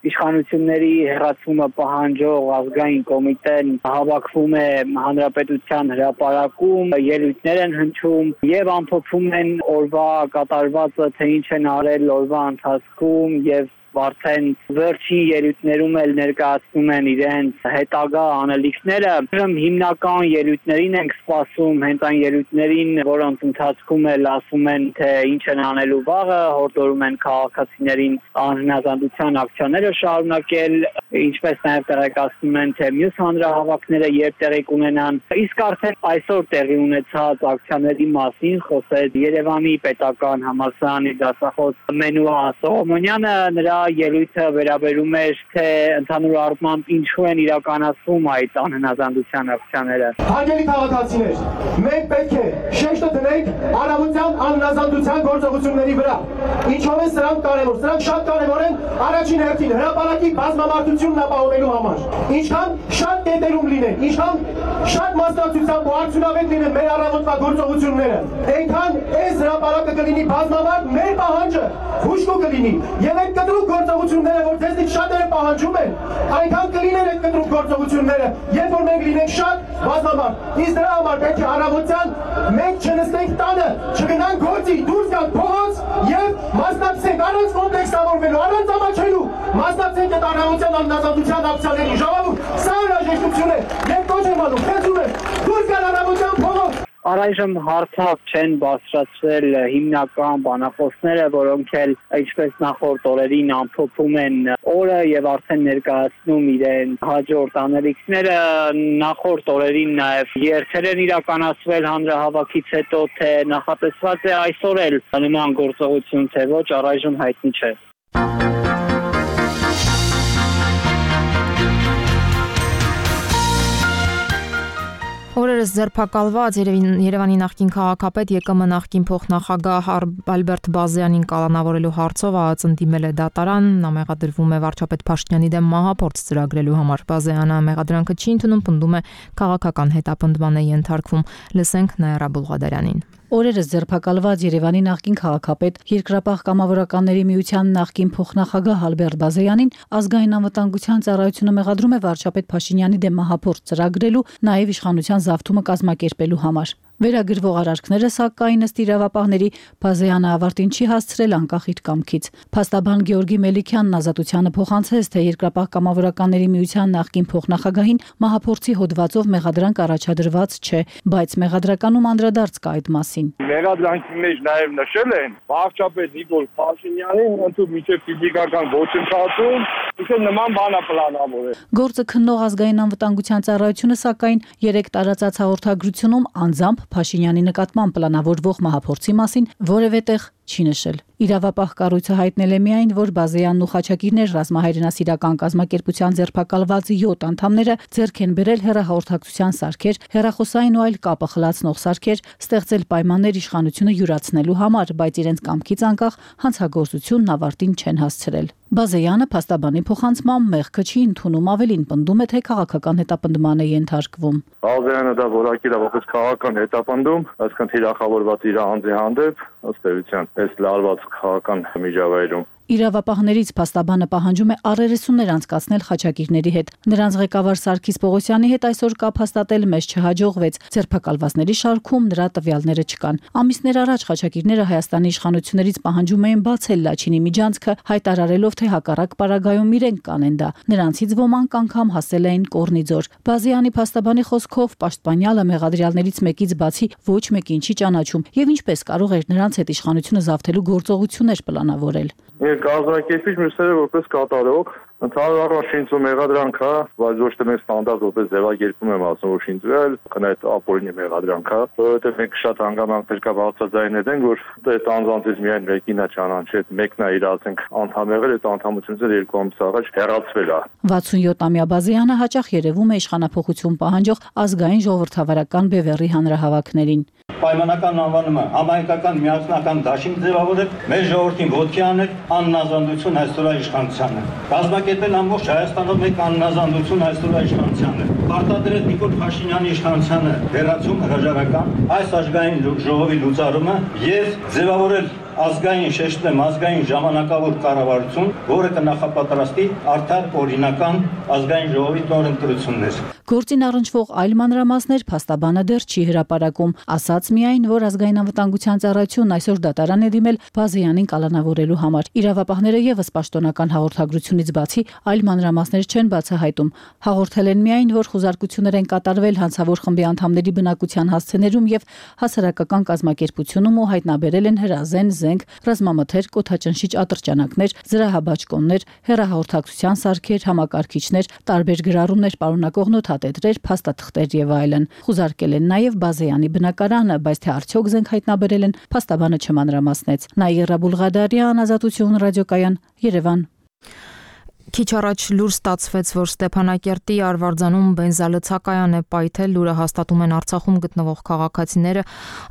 [SPEAKER 12] իշխանությունների հերացումը պահանջող ազգային կոմիտեն հավաքվում է հանրապետության հրապարակում, ելույթներ են հնչում եւ ամփոփում են օրվա կատարվածը, թե ինչ են արել օրվա ընթացքում եւ արդեն վերջին ելույթներում էլ ներկայացնում են իրենց հետագա անելիքները։ Հիմնական ելույթներին ենք սպասում, հենց այն ելույթներին, որոնց ընթացքում էլ ասում են, թե ինչ են անելու վաղը, հորդորում են քաղաքացիներին անհնազանդության ակցիաները շարունակել, ինչպես նաև տեղեկացնում են, թե մյուս հանրահավաքները երբ տեղի կունենան։ Իսկ արդեն այսօր տեղի ունեցած ակցիաների մասին խոսեց Երևանի պետական համալսարանի դասախոս Մենուա Սողոմոնյանը, նրա ելույթը վերաբերում էր, թե ընդհանուր առմամբ ինչու են իրականացվում այդ անհնազանդության ակցիաները։
[SPEAKER 14] Հարգելի քաղաքացիներ, մենք պետք է շեշտը դնենք արարողության անհնազանդության գործողությունների վրա։ Ինչով են սրանք կարևոր։ Սրանք շատ կարևոր են առաջին հերթին հրապարակի բազմամարդությունն ապահովելու համար։ Ինչքան շատ կետերում լինեն, ինչքան շատ մասնակցությամբ ու արդյունավետ լինեն մեր առավոտվա գործողությունները, այնքան այս հրապարակը կլինի բազմամարդ, մեր պահանջը հուշկու կլինի եւ այդ կտրուկ գործողությունները, որ ձեզնից շատերը պահանջում են, այնքան կլինեն այդ կտրուկ գործողությունները, երբ որ մենք լինենք շատ բազմամարդ։ Իսկ դրա համար պետք է առավոտյան մենք չնստենք տանը, չգնանք գործի, դուրս գանք փողոց եւ մասնակցենք առանց կոմպլեքսավորվելու, առանց ամաչելու, մասնակցենք այդ առավոտյան անհնազանդության ակցիաներին։ Ժողովուրդ, սա հրաժեշտություն է։ Ես կոչ եմ անում, խնդրում եմ, դուրս գալ առավոտյան փողոց։
[SPEAKER 12] Առայժմ հարցակ չեն բարձրացրել հիմնական բանախոսները, որոնք էլ ինչպես նախորդ օրերին ամփոփում են օրը եւ արդեն ներկայացնում իրեն հաջորդ անելիքները։ Նախորդ օրերին նաեւ երթեր են իրականացվել հանրահավաքից հետո, թե նախատեսված է այսօր էլ նման գործողություն, թե ոչ, առայժմ հայտնի չէ։
[SPEAKER 1] Օրերս ձերբակալված Երևանի նախկին քաղաքապետ ԵԿՄ նախկին փոխնախագահ Ալբերտ Բազյանին կալանավորելու հարցով ԱԱԾ-ն ընդդիմել է դատարան, նա մեղադրվում է վարչապետ Փաշինյանի դեմ մահափորձ ծրագրելու համար։ Բազյանը մեղադրանքը չի ընդունում, պնդում է քաղաքական հետապնդման է ենթարկվում։ Լսենք Նաիրա Բուլղադարյանին։
[SPEAKER 15] Օրերս ձերբակալված Երևանի նախկին քաղաքապետ Երկրապահ կամավորականների միության նախկին փոխնախագահ Ալբերտ Բազյանին ազգային անվտանգության ծառայությունը մեղադրում է վարչապետ Փաշինյանի դեմ մահափորձ ծրագրելու, նաև իշխանության զավթումը կազմակերպելու համար։ Վերագրվող արարքները սակայն ըստ իրավապահների Բազյանը ավարտին չի հասցրել անկախ իր կամքից։ Փաստաբան Գեորգի Մելիքյանն Ազատությանը փոխանցեց, թե Երկրապահ կամավորականների միության նախկին փոխնախագահին մահափորձի հոդվածով մեղադրանք առաջադրված չէ, բայց մեղադրականում անդրադարձ կա այդ մասին։
[SPEAKER 16] Մեղադրանքի մեջ նաև նշել են վարչապետ Նիկոլ Փաշինյանին ընդհանուր միջև ֆիզիկական ոչնչացում, իսկ նման բան է պլանավորել։
[SPEAKER 15] Գործը քննող ազգային անվտանգության ծառայությունը սակայն երեք տարածած հաղորդագրությունում անձամբ Փաշինյանի նկատմամբ պլանավորվող մահափորձի մասին որևէ տեղ չի նշել։ Իրավապահ կառույցը հայտնել է միայն, որ Բազյանն ու Խաչակիրներ ռազմահայրենասիրական կազմակերպության ձերբակալված յոթ անդամները ձեռք են բերել հեռահաղորդակցության սարքեր, հեռախոսային ու այլ կապը խլացնող սարքեր, ստեղծել պայմաններ իշխանությունը յուրացնելու համար, բայց իրենց կամքից անկախ հանցագործությունն ավարտին չեն հասցրել։ Բազյանը փաստաբանի փոխանցմամբ մեղքը չի ընդունում, ավելին պնդում է, թե քաղաքական հետապնդման է ենթարկվում։
[SPEAKER 16] Բազյանը դա որակի դա որպես քաղաքական հետապնդում, այսքան թիրախավորված իր անձի հանդեպ, ըստ էության, այս լարված քաղաքական միջավայրում։
[SPEAKER 15] Իրավապահներից փաստաբանը պահանջում է առերեսումներ անցկացնել Խաչակիրների հետ։ Նրանց ղեկավար Սարգիս Պողոսյանի հետ այսօր կապ հաստատել մեզ չհաջողվեց։ Ձերբակալվածների շարքում նրա տվյալները չկան։ Ամիսներ առաջ Խաչակիրները Հայաստանի իշխանություններից պահանջում էին բացել Լաչինի միջանցքը, հայտարարելով, թե հակառակ պարագայում իրենք կանեն դա։ Նրանցից ոմանք անգամ հասել էին Կորնիձոր։ Բազյանի փաստաբանի խոսքով պաշտպանյալը մեղադրյալներից մեկից բացի ոչ մեկին չի ճանաչում եւ ինչպես կարող էր նրանց հետ իշխանությունը զավթելու գործողություններ պլանավորել։
[SPEAKER 16] Կազմակերպիչ մյուսները որպես կատարող Ընդհանուր առմամբ շինծու մեղադրանք է, բայց ոչ թե մենք ստանդարտ որպես ձևակերպում եմ ասում, որ շինծվել, կնայդ ապօրինի մեղադրանք է, որովհետև մենք շատ հանգամանքներ կա բացաձայնել ենք, որ այդ անձանցից միայն մեկին է ճանաչել, մեկն է իր ասենք անդամ եղել, այդ անդամությունից երկու ամիս առաջ հեռացվել է։
[SPEAKER 15] վաթսունյոթամյա Բազյանը հաճախ երևում է իշխանափոխություն պահանջող ազգային ժողովրդավարական բևեռի հանրահավաքներին։
[SPEAKER 5] Պայմանական անվանումը համահայկական միասնական դաշինք ձևավորել, մեր ժողովրդին ոտքի անել աննազանդություն այսօրվա իշխանությանը։ Կազմակերպել ամբողջ Հայաստանով մեկ աննազանդություն այսօրվա իշխանությանը։ Պարտադրել Նիկոլ Փաշինյանի իշխանությանը հերացում հրաժարական այս ազգային ժողովի լուծարումը եւ ձևավորել ազգային շեշտեմ ազգային ժամանակավոր կառավարություն, որը կնախապատրաստի արդար օրինական ազգային ժողովի նորընտրություններ։
[SPEAKER 15] Գործին առնչվող այլ մանրամասներ փաստաբանը դեռ չի հրապարակում, ասաց միայն, որ ազգային անվտանգության ծառայությունն այսօր դատարան է դիմել Բազյանին կալանավորելու համար։ Իրավապահները եւս պաշտոնական հաղորդագրությունից բացի այլ մանրամասներ չեն բացահայտում։ Հաղորդել են միայն, որ խոզարկություններ են կատարվել հանցավոր խմբի անդամների բնակության հասցեներում եւ հասարակական կազմակերպությունում ու հայտնաբերել են հրազեն զենք, ռազմամթեր, կոթաճնշիչ ատրճանակներ, զրահաբաճկոններ, հեռահաղորդակցության սարքեր, համակարգիչներ, տարբեր գրառումներ պարունակող նոթատետրեր, փաստաթղթեր եւ այլն։ Խուզարկել են նաեւ Բազեյանի բնակարանը, բայց թե արդյոք զենք հայտնաբերել են, փաստաբանը չմանրամասնեց։ Նաիրա Բուլղադարյան, Ազատություն ռադիոկայան, Երևան։
[SPEAKER 1] Քիչ առաջ լուր ստացվեց, որ Ստեփանակերտի Արվարձանում բենզալցակայան է պայթել, լուրը հաստատում են Արցախում գտնվող քաղաքացիները,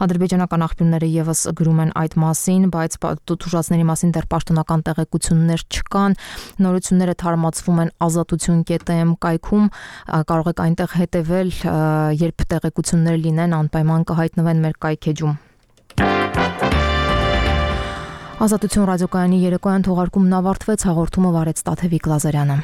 [SPEAKER 1] ադրբեջանական աղբյուրները եւս գրում են այդ մասին, բայց թուժածների մասին դեռ պաշտոնական տեղեկություններ չկան։ Նորությունները թարմացվում են ազատություն կետ էմ կայքում, կարող եք այնտեղ հետևել, երբ տեղեկություններ լինեն, անպայման կհայտնվեն մեր կայքեջում։ Ազատություն ռադիոկայանի երեկոյան թողարկումն ավարտվեց, հաղորդումը վարեց Տաթևիկ Լազարյանը։